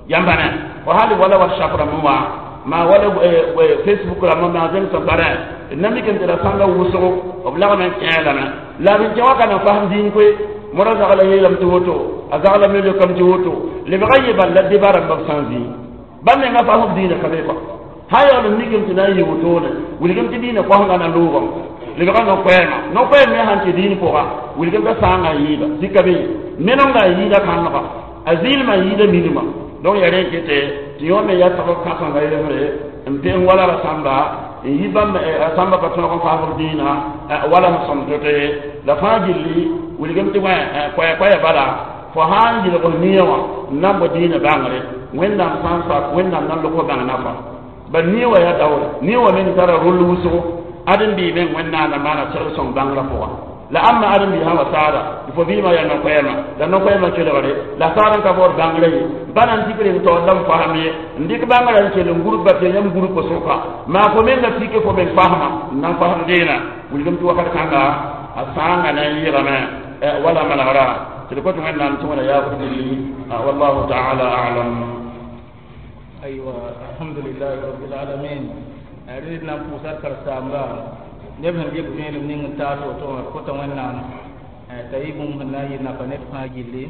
yãmba ne fo hal wala whatsapp rãmb wã maa wala Facebook rãmb maa zẽmsẽ parẽ d na mikame tɩ rasãmbã wʋsgo b lagm n kẽe lame la b kẽ wã ka na fasem dĩin koe moda zagla yeelame tɩ woto a zagla me leokame tɩ woto lebga ye bal la deba rãmba b sã n zĩig bãmb menga fasb dĩinã ka be kɔa sã yaool n mikame tɩ na n yɩ wotone wilgem tɩ dĩinã koasengã na loogame lebga no-koɛɛmã no-koɛɛm me sãn kẽ dĩin pʋga wilgem t'a sãangã n yɩɩda sika be menengã n yɩɩda kãnega a zɩɩlmã n yɩɩda minimã donc yaa rẽ kete tɩ yõ me yaa sabab kãsenga yembre n peng wala rasãmba n yi bãmb rasãmba pa tõog n faasb dĩinã wala sẽn sõm to-to ye la fãa gilli wilgem tɩ koɛɛ-koɛɛ bala fo sã n yɩlg f nia wã n na n bao dĩinã bãngre Wẽnnaam sã n sak Wẽnnaam na n lʋg fo bãng nafa bal nia wã yaa daoore nia wã meng tara rol wʋsgo ãdem-biig meng Wẽnnaam na maana segl sõng bãngrã pʋga la ãmba ãdem-biig sã wa saada tɩ fo vɩɩmã yaa no-koɛɛmã la no-koɛɛmã kelgre la saad n ka baood bãngrã ye pa na n dɩk reng taoor la m fasem ye n dɩk bãngrã n kell n gurb ba tɩ yãmb gurp sʋka maa fo menga pike fo meng fasma n na n fasem dẽenã wilgem tɩ wakat kãnga a sãanga na n yɩgame wala manegra tɩ d kõt Wẽnnaam tɩ wẽna yaabd gilli wallahu taala alam. Aywa, alhamdulillahi rabbil alamin. Rẽd na n pʋʋsa d karen-saamba neb sẽn dɩk vẽenem ning n taas woto wã kõta Wẽnnaam t'a yɩ bũmb sẽn na n yɩ nafa ned fãa gilli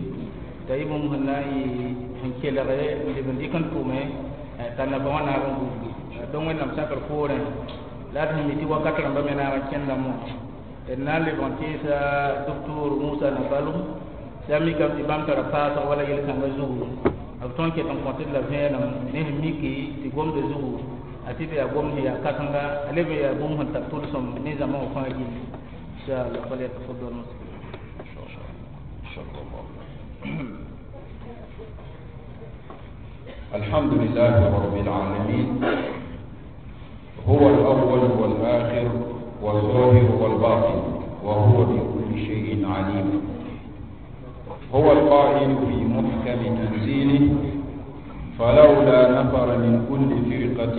t'a yɩ bũmb sẽn na n yɩ sẽn kelge n leb n dɩk n tʋme t'a nafa wã naag n gubgi donc Wẽnnaam sakr poorẽ la d sẽn mi tɩ wakat rãmbã me naag n kẽndame wã d na n lebg n tẽesa doctor Musa Nabalum tɩ a mikame tɩ bãmb tara paasg wala yel-kãngã zugu b tõnd ket n kõt d la vẽenem ne sẽn miki tɩ gomdã zugu a tɩ b yaa gomd sẽn yaa kãsenga a leb n yaa bũmb sẽn tar tʋlsem ne zãma wã fãa gilli inchallah. Falyatafaddal maskur. الحمد لله رب العالمين، هو الأول والآخر والظاهر والباطن، وهو بكل شيء عليم. هو القائل في محكم تنزيله: فلولا نفر من كل فرقة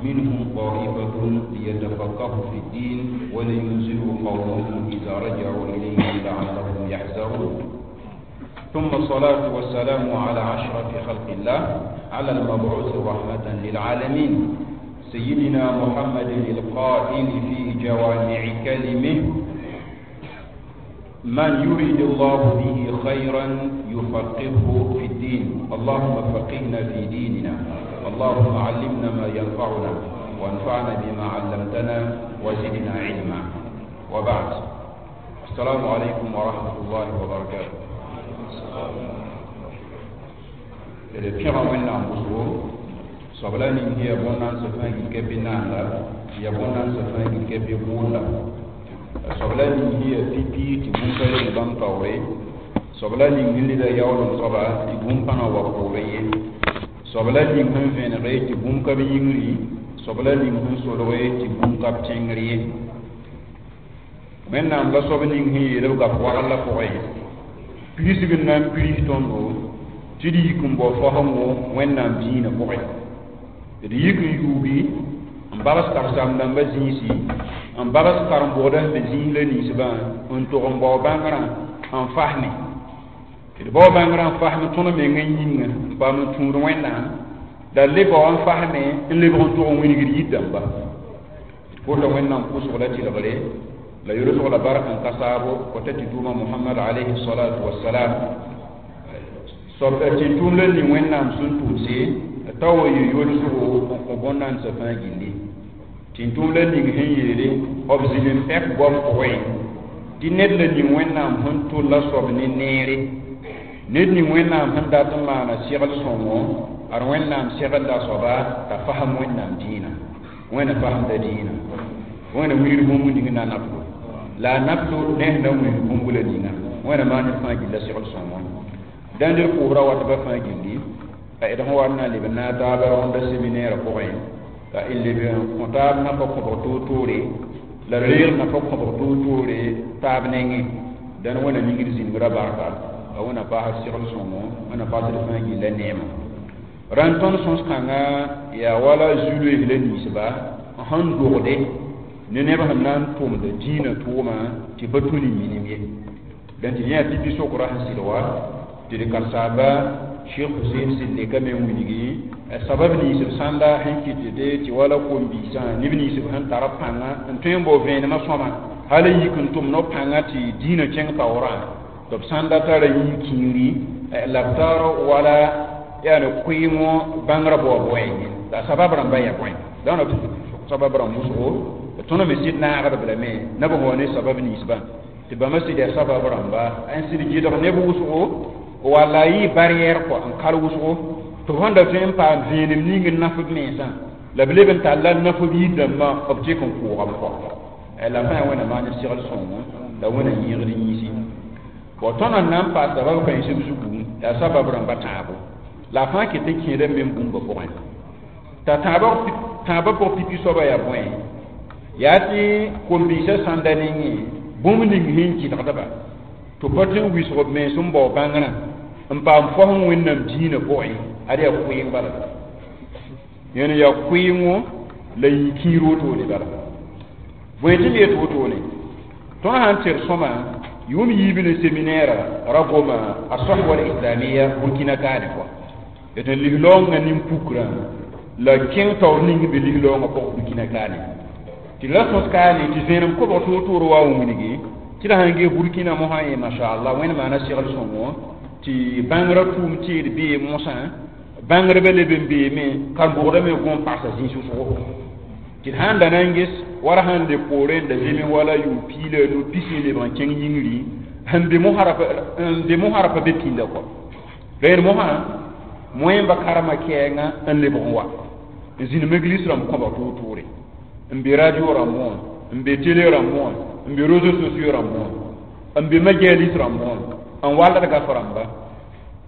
منهم طائفة ليتفقهوا في الدين ولينذروا قومهم إذا رجعوا إليهم لعلهم يحذرون. ثم الصلاة والسلام على أشرف خلق الله، على المبعوث رحمة للعالمين، سيدنا محمد القائل في جوامع كلمه: من يريد الله به خيرا يفقهه في الدين. اللهم فقهنا في ديننا، اللهم علمنا ما ينفعنا، وانفعنا بما علمتنا، وزدنا علما. وبعد، السلام عليكم ورحمة الله وبركاته. D pẽga Wẽnnaam wʋsgo soab la ning yaa bõn-nansã fãa gil ka bɩ naanda, yaa bõn-nansã fãa gil ka bɩ bʋʋnda. Soab la ning yaa pipi tɩ bũmb pa lebg bãmb taoore. Soab la ning n leda yaoolem soaba tɩ bũmb pa na wa poorẽ ye. Soab la ning sẽn vẽnege tɩ bũmb ka b yĩngri. Soab la ning sẽn solge tɩ bũmb ka b tẽngr ye. Wẽnnaam la soab ning sẽn yeel b gap wagl la pʋgẽ pirsg n na n pirs tõndo tɩ d yik n bao faoosgo Wẽnnaam dĩinã pʋgẽ, d yik n yuugi n babs karen-saam-dãmbã zĩisi, n babs karen-bʋgda sẽn be zĩis la ninsbã, n tog n bao bãngrã n fasme. D bao bãngrã n fasme tõnd mengã yĩnga n paam n tũud Wẽnnaam, la d le bao n fasme n lebg n tog n wilgd yir dãmba. D kota Wẽnnaam pʋʋsg la tɩlgre la yolsg la bark n ka saabo kota tɩ tʋʋma Mohamad alayhi salatu wasalam. Soab tɩ tʋʋm la ning Wẽnnaam sẽn tʋmse t'a wa yɩ yolsgo n kõ bõn-nansã fãa gilli. Tɩ tʋʋm la ning sẽn yeele b zĩnd n pɛk goam pʋgẽ tɩ ned la ning Wẽnnaam sẽn tʋlla soab ne neere, ned ning Wẽnnaam sẽn dat n maana segl sõngo, ad Wẽnnaam seglda soaba t'a fasem Wẽnnaam dĩinã. Wẽna fasemda dĩinã, Wẽna wilg bũmb ning na naflo la a naflo ne sẽn na n wilg bũmb la ninga. Wẽna maan ned fãa gilla segl sõngo. Dãnd d pʋʋsra watba fãa gilli a d sẽn wa n na n leb n naag taaba rõnda séminaire pʋgẽ, la n leb n kõ taab nafa kõbg toor-toore, la d reeg nafa kõbg toor-toore taab nengẽ. Dãn Wẽna ningd zĩngrã barka, la Wẽna paasd segl sõngo, Wẽna paasd fãa gilla neema. Rãnd tõnd sõs-kãngã yaa wala zu-loees la ninsba sẽn dogde ne neb sẽn na n tʋmd dĩinã tʋʋma tɩ pa tũ ne minim ye. Dẽn tɩ yã pipi sokrã sẽn sɩd wa tɩ d karsaaba Cheikh Husein sɩd leka me n wilgi sabab nins b sãnda sẽn kɩtde tɩ wala kom-biisã, neb nins b sẽn tar pãnga n tõe n bao vẽenemã sõma hal n yik n tʋm no pãnga tɩ dĩinã kẽng taoorã, tɩ b sãnda tara yĩn-kĩiri la b tar wala yaani kʋɩɩngõ bãngrã baoog bõe la sabab rãmba yaa bõe. Dãn sabab rãmb wʋsgo tõnd me sɩd naagdb lame na b wa ne sabab ninsbã tɩ bãmba sɩd yaa sabab rãmba n sɩd gɩdg neb wʋsgo walla yɩ barrière kɔ n kal wʋsgo tɩ b sẽn da tõe n paam vẽenem ning n naf b mensã la b leb n talla naf b yir-dãmbã b tek n kʋʋgame kɔ. La fãa Wẽnna maan segl sõngo la Wẽnna yẽegd yĩsi. Bõ tõnd n na n paas sabab kãensb zugu yaa sabab rãmba tãabo la a fãa ket n kẽeda me bũmba pʋgẽ t'a tãabã pʋg pipi soaba yaa bõe yaa tɩ kom-biisã sãnda nengẽ bũmb ning sẽn kɩdgdba tɩ pa tõe n wɩsg b mens n bao bãngrã n paam fosẽ Wẽnnaam dĩinã pʋgẽ. Ad yaa kʋɩɩng bala, yẽn yaa kʋɩɩngo la yĩn-kĩir wotone bala. Bõe tɩ m yet wotone? Tõnd sãn tɩr sõma yʋʋm yiib ne séminaire ra goma a sahwa al-islamia Burkina kaane kɔa d n lis-laoongã nin-pukrã la kẽng taoor ning be lis-laoongã pʋg Burkina kaane tɩ la sõs kaane tɩ vẽenem kobg toor-toor wa n wilgi tɩ d sãn ges Burkina mosã ye mashallah Wẽnd maana segl sõngo tɩ bãngrã tʋʋm teed bee mosã bãngrbã leb n beeme karen-bʋgdã me gom pagsa zĩis wʋsgo tɩ d sãn da na n ges wala sãn le poorẽ n da zeme wala yʋʋm piila nu pisi n lebg n kẽng yĩngri sẽn be mosã ra pa be pĩnda kɔ rẽnd mosã moẽmba karema kɛɛngã n lebg n wa n zĩnd meglis rãmb kõba toor-toore, n be radio rãmb wã, n be télé rãmb wã, n be réseaux sociaux rãmb wã, n be majalis rãmb wã, n wallad gaf rãmba.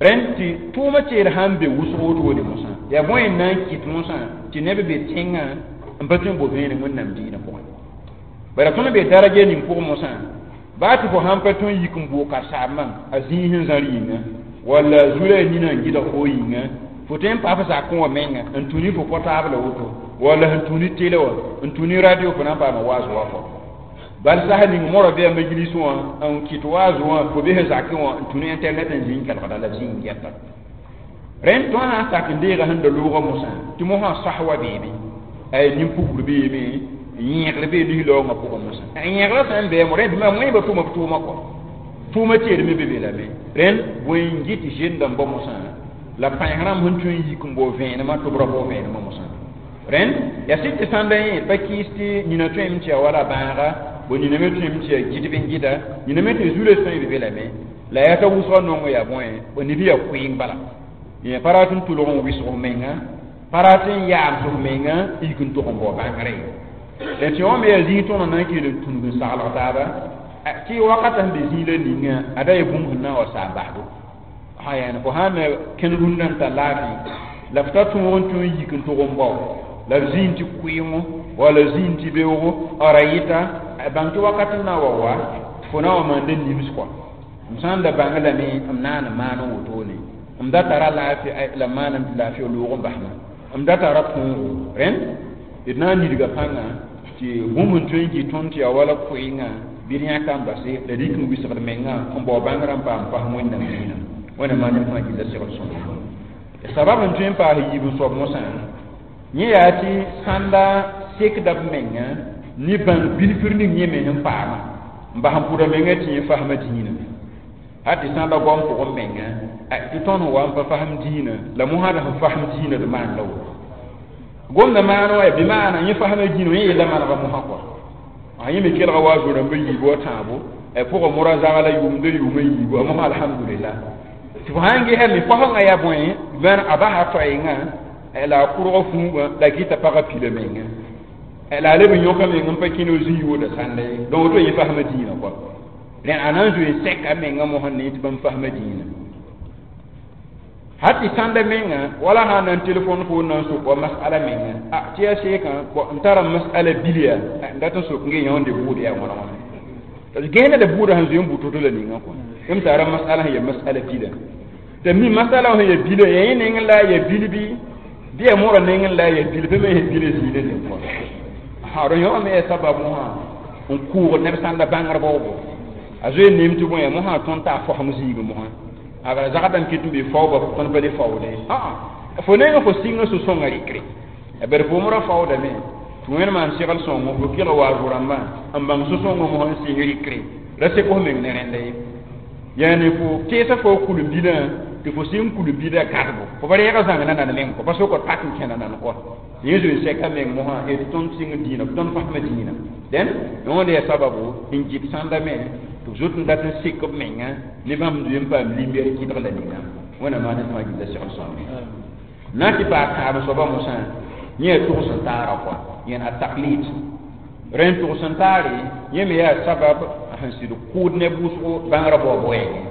Rẽnd tɩ tʋʋmã teed sãn be wʋsg wotone mosã yaa bõe n na n kɩt mosã tɩ neb be tẽngã n pa tõe n bo vẽenem Wẽnnaam dĩinã pʋgẽ. Bara tõnd be daraja ning pʋgẽ mosã. Baa tɩ fo sãn pa tõe n yik n bʋʋg karen-saambã a zĩig sẽn zãr yĩnga walla zura a nina n gɩdg fo yĩnga fo tõe n pa f zakẽ wã menga n tũ ne fo portable woto walla sẽn tũ ne télé wã n tũ ne radio fo na n paama waas wa fo bal sas ning morã bɩ a majlis wã n kɩt waaz wã fo bɩ sẽn zakẽ wã n tũ ne internet n zĩ n kelgda la b zĩ n gɛta rẽnd tõnd sã n sak n deega sẽn da loogã mosã tɩ mosã sas wa beeme ay nin-pukr beeme yẽegr bee lislaoongã pʋgẽ mosã yẽegrã sã n bɩ mo rẽnd bɩ wẽeba tʋma b tʋʋma kɔ tʋʋma teedme be be lame rẽnd bõe n gɩ tɩ zendãmbã mosã la pãens rãmb sẽn tõe n yik n bao vẽenemã tɩ b ra bao vẽenemã mosã rẽnd yaa sɩd tɩ sãnda yẽ pa kɩɩs tɩ nina tõeme tɩ yaa wala bãaga bo nina me tõeme tɩ yaa gɩdb n gɩda nina me tɩ zu-la tõe be be lame la yaa t'a wʋsgã nongo yaa bõe neb yaa koeeng bala yẽ pa rat n tʋlg n wɩsg f menga pa rat n yaam f menga yik n tog n bao bãngre la tɩ wã me yaa zĩig tõnd na n kell n tũnug n saglg taaba tɩ wakata sẽn be zĩig la ninga ada yaa bũmb sẽn na n wa saam basdo yaa fo sãn na kẽn rũndã n tar laafɩ la f ta tõog n tõe n yik n tog n bao la b zĩig tɩ kʋɩɩngo walla zĩig tɩ beoogo a ra yɩta bãng tɩ wakat n na n wa fo na n wa maanda nims kɔa m sã n da bãng lame m naan n maan n wotone m da tara laafɩ la m maaname tɩ laafɩ loog n basma m da tara tõogo rẽnd d na n nidga pãnga tɩ bũmb n tõe n kɩ tõnd tɩ yaa wala koɩngã bɩ d yãka n base la d yik n wɩsgd menga n bao bãngrã n paam fasem wẽnnaam dĩinã wẽnnaam maan fãa gilla segl sõma sabab n tõe n paas yiib n soab mosã yẽ yaa tɩ sãnda sekda b menga ne bãng bilfr ning yẽ me sẽn paama n bas n pʋda menga tɩ yẽ fasma dĩinã hat tɩ sãnda goam pʋgẽ menga tɩ tõnd sẽn wa n pa fasem dĩinã la mosãd sẽn fasem dĩinã d maan la woto gomda maan wa bɩ maana yẽ fasma dĩinã yẽ yella manega mosã kɔa a yẽ me kelga wa zo-rãmba yiibu wa tãabo pʋgã mora zagla yʋʋmda yʋʋma yiibu a mosã alhamdulillah tɩ fo sãn gesame fasẽngã yaa bõe bãn a basa toɛɛngã la a kʋrga fũubã la gɩta pagã pila menga la a leb n yõka meng n pa kẽne zĩ yooda sãnda ye donc woto yẽ fasma dĩinã kɔa rẽnd a na n zoe sɛka menga mosã ne tɩ bãmb fasma dĩinã hat tɩ sãnda menga wala sã n na n telefon fo n na n sok wa masala menga a tɩ yaa seekã n tara masala bilya n dat n sok n ge yãonde bʋʋd yaa wãna wãna gẽeda la buudã sẽn zoe n bʋ to-to la ninga kɔ m tara masala sẽn ya masala bila tɩ mi masala sẽn ya bila ya yẽ neng la ya bil bɩ bɩ ya morã neng la ya bil pa me ya bila zĩig la kɔ ha rõ yõ me ya sababu wã n kʋʋgd neb sãnda bãngr baoogo a zoe neem tɩ bõe mosã tõnd t'a fosem zĩig mosã aga zagdame kɩt n be faooba tõnd pa le faoode fo neng fo sɩngã sũ-sõngã rɩkre bari fo mora faoodame tɩ wẽnd maan segl sõngo fo kelg wa zo-rãmbã n bãng sũ-sõngã mosã n sɩng rɩkre ra sek f meng ne rẽnda ye yaani fo teesa fo kulum-bilã tɩ fo sɩng kulum-bilã gãdbo fo pa reega zãng na nan meng kɔ pa sokd pak n kẽna nan kɔ yẽ zoe sɛka meng mosã tɩ tõnd sɩng dĩinã tõnd fasmã dĩinã dẽn wẽnd yaa sababu n gɩt sãnda me tɩ b zot n dat n sek b menga ne bãmb zoe n paam limber kɩdg la ninga wẽnnaam maan fãa gilla segl sõame na tɩ paa kãabẽ soaba mosã yẽ yaa tʋgs n taara kɔa yẽn a taklid rẽnd tʋgs n taare yẽ me yaa sabab sẽn sɩd kʋʋd ne wʋsgo bãngrã baoob wɛɛngẽ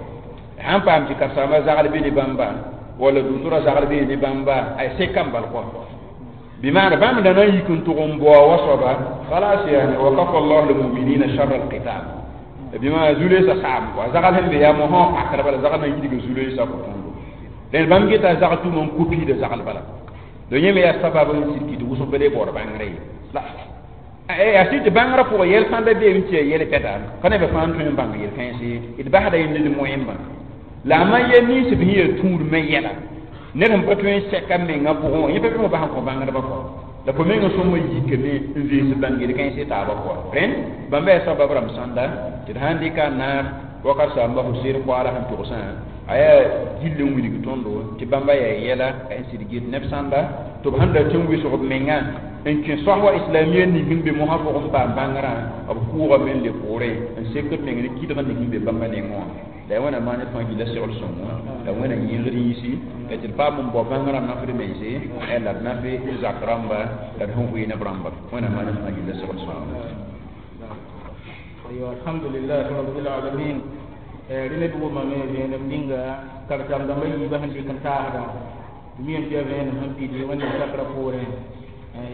sãn paam tɩ karen-saambã zagl be ne bãmba walla dʋsrã zagl be ne bãmba ay seka n bal kɔa بمعنى بام دنا يكون تغم بوا وصبا خلاص يعني وكفى الله المؤمنين شر القتال بما زولي سام زغل هم بيا مو هو اكر بلا زغل يدي زولي سا كوتون لأن بام جيتا زغل تو من كوبي ده زغل بلا دو يمي يا سبب سيركي دو وسو بلي بور بانغري لا اي اسيت بانغرا فو يل سان بي نتي يل بيدا كان be fan tun bang yel fensi id bahada yin ni moyemba la ma ye ni se bi tour me yela ned sẽn pa tõe n sɛka mengã pʋgẽ wã yẽ pa bɩ bas n kõ bãngdbã kɔ la fo mengã sõma yikame n vees bãng kãens taabã kɔ rẽnd bãmba yaa sabab rãmb sãnda tɩ d sãn dɩka n naag wakat saamba Husein koaala sẽn togsã a yaa gill n wilg tõndo tɩ bãmba yaa yɛla n sɩd get neb sãnda tɩ b sẽn da tɩ n wɩsg b menga n kẽ soas wa islamia ning n be mosã pʋgẽ n paam bãngrã b kʋʋgame n le poorẽ n sek b meng ne kɩdg ning n be bãmba nengẽ wã la wẽnnaam maan fãa gilla segl sõngo la wẽna yẽegd yĩsi la tɩ d paam n bao bãngrã nafd mense la d nafe n zak rãmba la d sẽn vɩɩ neb rãmba wẽnnaam maan fãa gilla segl sõngo أيوة الحمد لله رب العالمين rẽnd d wʋmame vẽenem ninga karen-saam-dãmbã yiibã sẽn dɩk n taasda mi n tɩ yaa vẽenem sẽn pid wẽnnaam sakrã poorẽ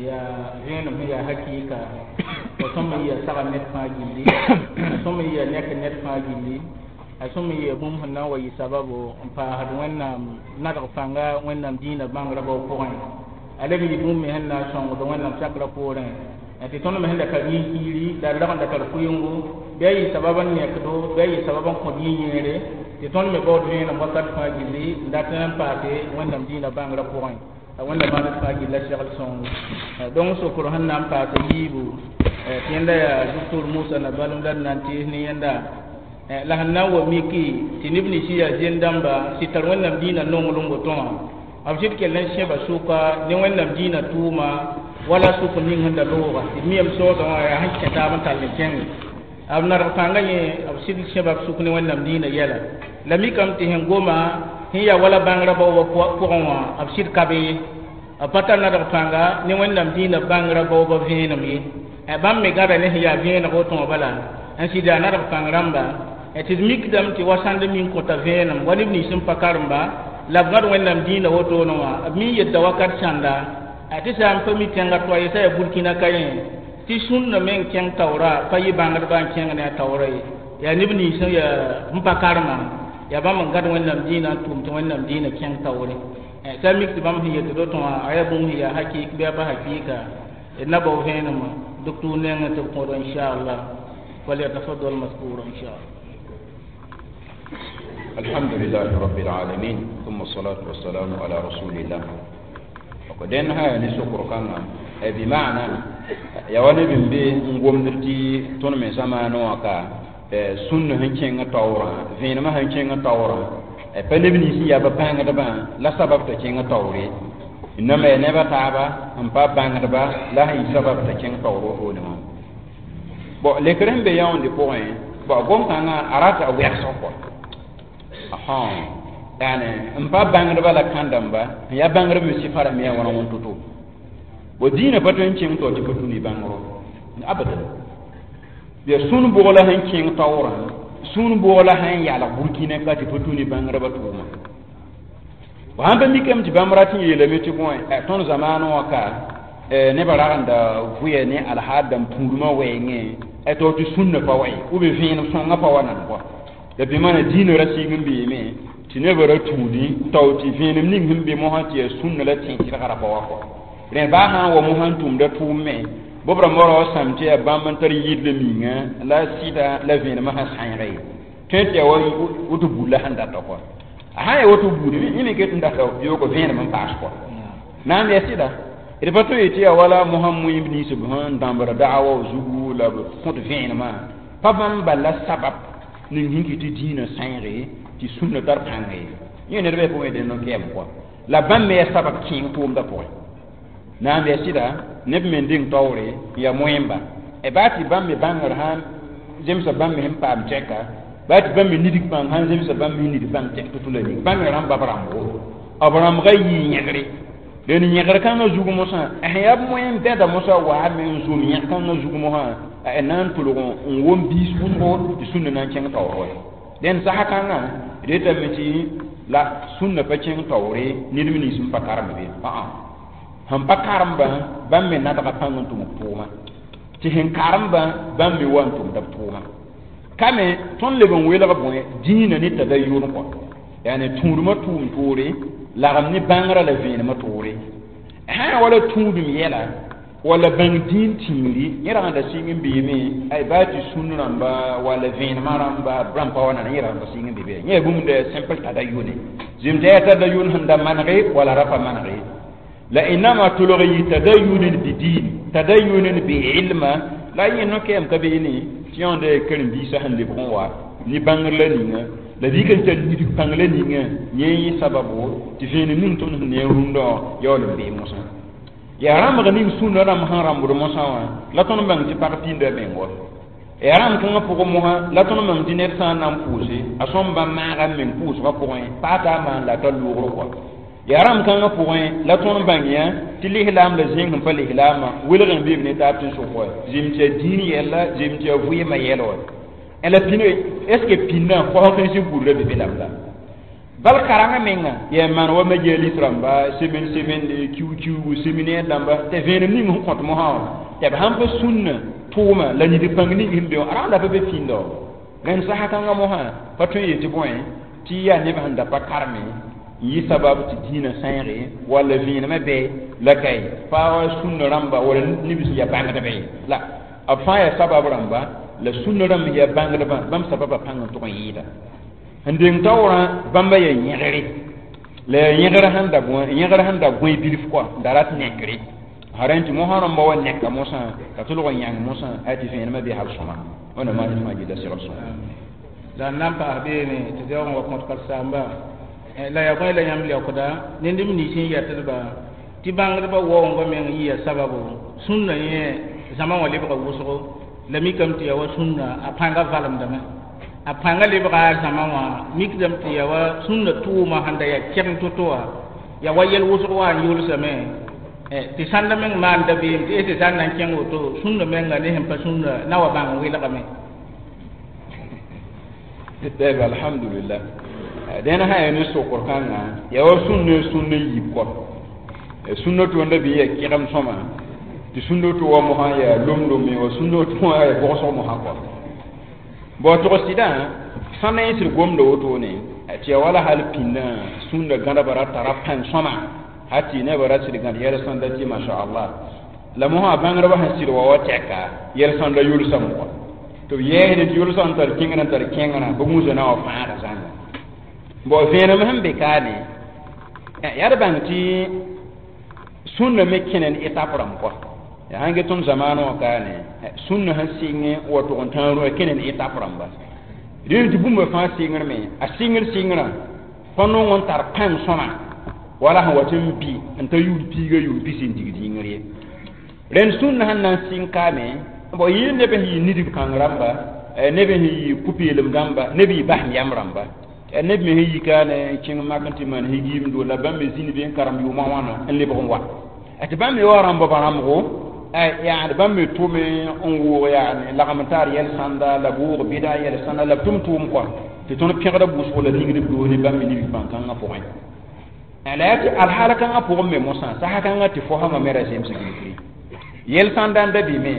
yaa vẽenem sẽn yaa hakɩɩka A sõm n yɩa saga ned fãa gilli, a sõm n yɩa nek ned fãa gilli, a sõm n yɩa bũmb sẽn na n wa yɩ sababo n paasd Wẽnnaam nadg pãnga Wẽnnaam dĩinã bãngrã bao pʋgẽ. A leb n yɩ bũmb me sẽn na n sõngd Wẽnnaam sakrã poorẽ tɩ tõnd me sẽn da tar yĩn-kiiri la d rag n da tar kʋɩngo, bɩ a yɩ sabab n nekdo, bɩ a yɩ sabab n kõt yĩ-yẽere, tɩ tõnd me baood vẽenem wakat fãa gilli n dat n paase Wẽnnaam dĩinã bãngrã pʋgẽ. A Wẽnnaam maan d fãa gilla segl sõngo. Donc sokr sẽn na n paas yiibu tɩ yẽnda yaa doctor Musa Nabalem la d na n tees ne yẽnda la sẽn na n wa miki tɩ neb nins yaa zẽn-dãmba sɩd tar Wẽnnaam dĩinã nonglem woto wã, b sɩd kell n sẽba sʋka ne Wẽnnaam dĩinã tʋʋma wala sʋk ning sẽn da looga tɩ d miyame soodã wã yaa sẽn kẽ taab n tall n kẽnge b nadg pãngã yẽ, b sɩd sẽba b sʋk ne Wẽnnaam dĩinã yɛla. La mikame tɩ sẽn goma sẽn yaa wala bãngrã baoobã pʋgẽ wã, b sɩd ka be ye, b pa tar nadg pãnga ne Wẽnnaam dĩinã bãngrã baoobã vẽenem ye. Bãmb me gada ne sẽn yaa vẽeneg woto wã bala n sɩd yaa nadg pãng rãmba tɩ d mikdame tɩ wa sãnd min kõta vẽenem wa neb nins n pa karemba la b gãd Wẽnnaam dĩinã wotone wã, b mi yetda wakat sãnda tɩ sã n pa mi tẽngã toa ye sã yaa Burkina ka yẽ tɩ sũnna meng kẽng taoora pa yɩ bãngdbã n kẽng ne a taoora ye, yaa neb nins n yaa n pa karema yaa bãmb n gãd Wẽnnaam dĩinã n tʋʋm tɩ Wẽnnaam dĩinã kẽng taoore. T'a mik tɩ bãmb sẽn yetd woto wã a yaa bũmb sẽn yaa hakɩɩk bɩ a pa hakɩɩka, d na bao vẽenemã doctor nengẽ tɩ b kõdo inchallah. فليتفضل مذكورا إن شاء الله. الحمد لله رب العالمين، ثم الصلاة والسلام على رسول الله. وقدين هاي نسوكر كان بمعنى يا وني بن بي ngomdirti ton me zamano aka sunna hankenga tawra venema hankenga tawra pa neb nins ya ba bãngdbã la sabab t'a kẽnga taoore inama ya neba taaba n pa bãngdba la sẽn yɩ sabab t'a kẽng taoor wotone wã. Bon, lekr sẽn be yãonde pʋgẽ, bon, gom-kãngã a rata a wɛgsg kɔ yani n pa bãngdba la kãn-dãmba n yaa bãngdb me sɩfa rãmb yaa wãna wẽn to-to. Bon, dĩinã pa tõe n kẽng tao tɩ pa tũ ne bãngro abadan. Ya sũn bʋgla sẽn kẽng taoorã, sũn bʋgla sẽn yalg Burkina ka tɩ pa tũ ne bãngdbã tʋʋma. Sãn pa mikame tɩ bãmb rat n yeelame tɩ bõe tõnd zamaanẽ wã ka nebã ragenda vʋya ne alhaad dãmb tũudmã wɛɛngẽ tao tɩ sũnna pa wa ye ou bien vẽenem sõngã pa wa nan kɔa la bɩ mana dĩinã ra sɩng n beeme tɩ nebã ra tũudi tao tɩ vẽenem ning sẽn be mosã tɩ yaa sũnna la tẽ tɩrga ra pa wa kɔ. Rẽ baa sã n wa mosã n tʋmda tʋʋm me bʋb rãmbã ra wa sãm tɩ yaa bãmb n tar yɩdl minga la sɩda la vẽenemã sẽn sãeega ye tõe tɩ yaa wa woto buud la sẽn data kɔa. A sã n yaa woto buud yẽ me ket n data yooko vẽenem n paas kɔa na n yaa sɩda d pa tõe tɩ yaa wala mosã moẽmb nins b sẽn dãmbra daawa zugu la b kõt vẽenemã pa bãmb bal la sabab ning sẽn kɩ tɩ dĩinã sãeege tɩ sũnna tar pãnga ye yẽ ned bɩ pʋgẽ dẽnd n kɛɛm kɔa la bãmb me yaa sabab kẽeng tʋʋmdã pʋgẽ na n yaa sɩda neb me n deng taoore n yaa moẽmba baa tɩ bãmb me bãngr sãn zemsa bãmb me sẽn paam tɛka baa tɩ bãmb me nidg pãng sãn zemsa bãmb me nidg pãng tɛk to-to la ning bãmb me rãmba b rãmbo b rãmbga yɩɩ yẽgre dẽn yẽgr kãngã zug mosã sẽn yaa b moẽm bɛda mosã waame n zom yẽg kãngã zug mosã a na n tʋlg n wom biis wʋsgo tɩ sũnna na n kẽng taoor wa. Dẽn sasa kãngã d yetame tɩ la sũnna pa kẽng taoore ned me nins n pa karemb be sẽn pa karembã bãmb me nadga pãng n tʋm b tʋʋma tɩ sẽn karembã bãmb me wa n tʋmda b tʋʋma ka me tõnd leb n welg bõe dĩinã ne tadayyun kɔ yani tũudmã tʋʋm toore lagem ne bãngrã la vẽenemã toore sã n wala tũudum yɛla wala bãng dĩin tĩiri yẽ rag n da sɩng n beeme ay baa tɩ sũn rãmba wala vẽenemã rãmba rãmb pa wa nana yẽ rag n da sɩng n be be yẽ yaa bũmb da simple tadayyune zem tɩ yaa tadayyun sẽn da manege wala ra pa manege la inama tʋlg yɩ tadayyunin bi diin tadayyunin bi ilma la yẽ no-kɛɛm ka beene tɩ yãonda yaa karen-biisã sẽn lebg n wa ne bãngr la ninga la rɩk n tar nidg pãng la ninga yẽ yẽ sababo tɩ vẽenem ning tõnd sẽn ne rũndã yaool n bee mosã yaa rãmbg ning sũnna rãmb sẽn rãmbd mosã wã la tõnd bãng tɩ pag pĩnda meng wa yaa rãmb kãngã pʋgẽ mosã la tõnd bãng tɩ ned sã n na n pʋʋse a sõm bãmb maaga n meng pʋʋsgã pʋgẽ pa a taa maan la a tar loogr kɔa yaa rãmb kãngã pʋgẽ la tõnd bãng yã tɩ lislaam la zẽng sẽn pa lislaamã welg n beeb ne taab tẽn-sʋk wa zem tɩ yaa dĩin yɛlla zem tɩ yaa vɩɩmã yɛl wa la pĩnã est ce que pĩnnã kosg n zĩ gurda be be la bal karengã menga yaa maan wa majalis rãmba semaine semaine kiu-kiugu séminaire dãmba tɩ vẽenem ning sẽn kõt mosã wã tɩ b sãn pa sũnna tʋʋma la nid pãng ning sẽn be wã rãnda pa be pĩnda wã rẽnd sasa kãngã mosã pa tõe n yet tɩ bõe tɩ yaa neb sẽn da pa karme n yɩ sabab tɩ dĩinã sãeege walla vẽenemã bɩ la kae pa sũnna rãmba wala neb sẽn yaa bãngdbã ye la b fãa yaa sabab rãmba la sũnna rãmb yaa bãngdbã bãmb sababã pãng n tʋg n yɩɩda n deng taoorã bãmba yaa yẽgre la yaa yẽgr sẽn da yẽgr sẽn da gõe bilf kɔa n da rat nekre sã rẽnd tɩ mosã rãmba wa neka mosã ka tʋlg n yãng mosã a tɩ vẽenemã bɩ hal sõma wẽnnaam maan fãa gilla segl sõma la n na n paas beene tɩ zaoog n wa kõt karen-saamba la yaa bõe la yãmb leookda ne neb nins n yɛtdba tɩ bãngdbã waoongã meng yɩ yaa sababu sũnna yẽ zãma wã lebga wʋsgo la mikame tɩ yaa wa sũnna a pãngã valemdame a pãngã lebga a zãma wã mikdame tɩ yaa wa sũnna tʋʋma sẽn da yaa kɛgeng to-to wã yaa wa yɛl wʋsg wa n yʋlsame tɩ sãnda meng maan dabeem tɩ tɩ sã n na n kẽng woto sũnna menga ne sẽn pa sũnna na wa bãng n welgame. Tɛb alhamdulillah dẽn sã yaa ne sokr kãngã yaa wa sũnna sũnna yiib kɔ sũnna tõnd bɩ yaa kɩgem sõma tɩ sũnna to wa mosã yaa lom-lome wa sũnna to wã yaa bʋgsg mosã kɔ bon tʋg sɩdã sãn na yẽ sɩd gomda wotone tɩ yaa wala hal pĩndã sũnda gãdba ra tara pãng sõma ha tɩ nebã ra sɩd gãd yɛl sãnda tɩ masha-allah la mosã bãngdbã sẽn sɩd wa wa tɛka yɛl sãnda yʋlsame kɔ tɩ b yɛɛsd tɩ yʋlsã n tar kẽngrã n tar kẽngrã bɩ gũusã na wa fãada zãnga bon vẽenem sẽn be kaane yaa d bãng tɩ sũnna me kẽne ne étape rãmb kɔ yaa sãn get tõnd zamaanã wã kaane sũnna sẽn sɩngẽ wa tʋg n tãag rũã kẽne ne étape rãmba rẽnd tɩ bũmba fãa sɩngrme a sɩngr sɩngrã pa nong n tar pãng sõma wala sẽn wat n bɩ n ta yʋʋn piiga yʋʋn pis n digd yĩngr ye rẽnd sũnna sẽn na n sɩng kaame bon yɩ neb sẽn yɩ nidg kãng rãmba neb sẽn yɩ pʋ-peelem rãmba neb yɩ basem yam rãmba neb me sẽn yi kaane n kẽng mak n tɩ maan higiimdo la bãmb me zĩnd be n karem yʋʋmã wãna n lebg n wa tɩ bãmb me wa rãmba ba rãmbgo yaani bãmb me tʋme n wʋʋg yaani lagm n taar yɛl sãnda la b wʋʋg bɩda yɛl sãnda la b tʋm tʋʋm kɔa tɩ tõnd pẽgda wʋsgo la ningd b doos ne bãmb me nibg pãn-kãngã pʋgẽ la yaa tɩ alhaal kãngã pʋgẽ me mosã sasa kãngã tɩ fosãmã me ra zems gilgre yɛl sãnda n da bɩme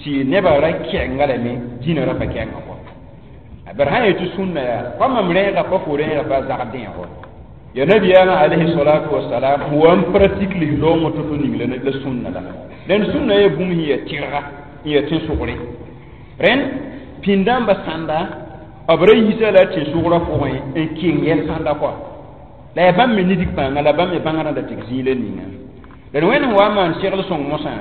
tɩ nebã ra kɛnga lame dĩnã ra pa kɛnga kɔ bari sã yetɩ sũnna yaa pa mam rẽega pa fo rẽega pa zagd dẽego ya nabiyaamã alayhi salatu wasalam wa n pratique lislaoongã to-to ning la sũnna la rẽnd sũnna yaa bũmb sẽn yaa tɩrga n yaa tẽn-sʋgre rẽnd pĩndãmbã sãnda b ra yisa la tẽn-sʋgrã pʋgẽ n keng yɛl sãnda kɔa la yaa bãmb me nidg pãnga la bãmb me bãngrã da tɩg zĩig la ninga rẽnd wẽnd sẽn wa n maan segl sõng mosã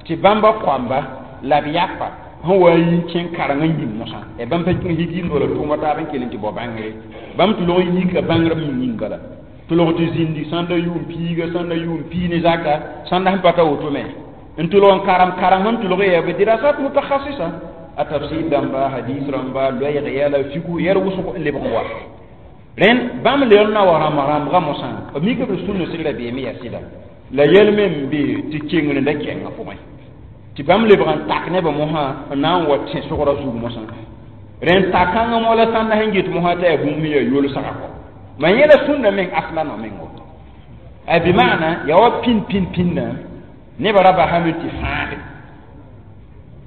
tɩ bãmba koamba la b yapa sẽn wa n yi kẽng kareng n yĩng mosã ya bãmb pa kẽng higiimd wala tʋʋma taab n kell n tɩ bao bãngre bãmb tɩ log n yika bãngrb yĩng yĩng bala tɩ log tɩ zĩndi sãnda yʋʋm piiga sãnda yʋʋm pii ne zaka sãnda sẽn pa ta woto me n tʋlg n karem karem sẽn tʋlg yaa bɩ dirasat mutakhasisa a tafsir dãmba hadis rãmba loɛɛg yɛla fiku yɛl wʋsg n lebg n wa rẽnd bãmb lebg na wa rãmb rãmbga mosã b mika b sũnna sɩgra beeme yaa sɩda la yɛl me n be tɩ kengr la kɛngã pʋgẽ tɩ bãmb lebg n tak nebã mosã n na n wa tẽ-sʋgrã zug mosã rẽnd tak-kãngã mo la sãnda sẽn get mosã t'a yaa bũmb sẽn yaa yolsga kɔ ma yẽla sũnna meng asla no mengo a bɩ maana yaa wa pĩn pĩn pĩnnã nebã ra basame tɩ fãage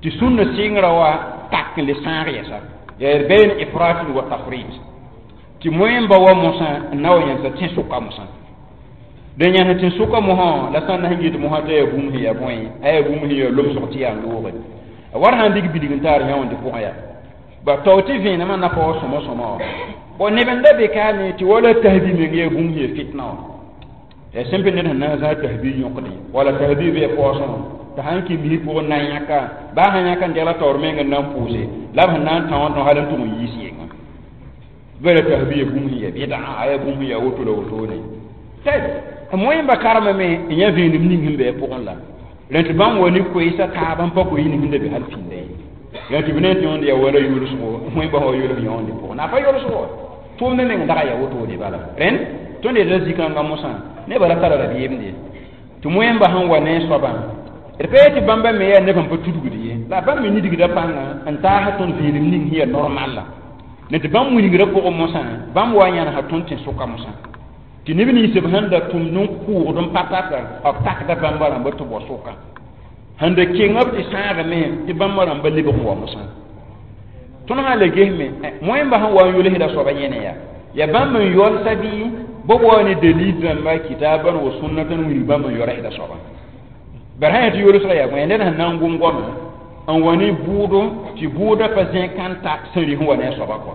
tɩ sũnna sɩngrã wa tak n le sãag yɛsa yaa d bayn ifratin wa tafrit tɩ moẽmba wa mosã n na wa yãnsa tẽ-sʋka mosã dẽ yãns tẽ-sʋka mosã la sãn na sẽn get mosã t'a yaa bũmb sẽn yaa bõe a yaa bũmb sẽn yaa lomsg tɩ yaa loogre war sãn dig bilg n taar yã wãnde pʋgẽ yaa ba tao tɩ vẽenemã na pa wa sõma sõma wã bon neb n da be kaane tɩ wala tahbi meng yaa bũmb sẽn yaa fitna wã yaa sẽn pa ned sẽn na n zãag tahbi yõkdẽ wala tahbi bɩ yaa paoosẽ tɩ sãn kɩ misã pʋgẽ na n yãka baa sãn yãka n degla taoor meng n na n pʋʋse la b sẽn na n tã wã tõ hal n tʋg n yiis yenga bɩ la tahbi yaa bũmb sẽn yaa bɩda a yaa bũmb sẽn yaa woto la wotone tɩ moẽmba karemame n yã vẽenem ning sẽn be a pʋgẽ la rẽnd tɩ bãmb wa ne koeesa taab n pa koe ning sẽn da be hal pĩnda ye rẽnd tɩ b ne tɩ yõnd yaa wala yʋlsgo moẽmba wa yʋls yõonde pʋgẽ na pa yʋlsgo tʋʋmd meng daga yaa wotone bala rẽnd tõnd yetla zĩ-kãngã mosã nebã ra tara rabeemde tɩ moẽmba sẽn wa ne soabã d pa yetɩ bãmba me yaa neb sẽn pa tudgd ye la bãmb me nidgda pãnga n taas tõnd vẽenem ning sẽn yaa normal la ne tɩ bãmb wilgrã pʋgẽ mosã bãmb wa n yãnesã tõnd tẽ-sʋka mosã tɩ neb nins b sẽn da tʋmd n kʋʋgd n pa tata b takda bãmba rãmba tɩ bao sʋka Sẽn da keng b tɩ sãagame tɩ bãmb rãmba lebg n wa mosã. Tõnd sã n le gesme moẽmba sẽn wa n yolsda soaba yẽne yaa ya bãmb n yolsa bɩ bɩ wa ne dalil rãmba kitaban wa sunnatan wilg bãmb n yorsda soaba. Bara sã n yaa tɩ yolsga yaa bõe ned sẽn na n gom goama n wa ne bʋʋdo tɩ bʋʋda pa zẽ kãn ta sẽn sẽn wa ne a soaba kɔa.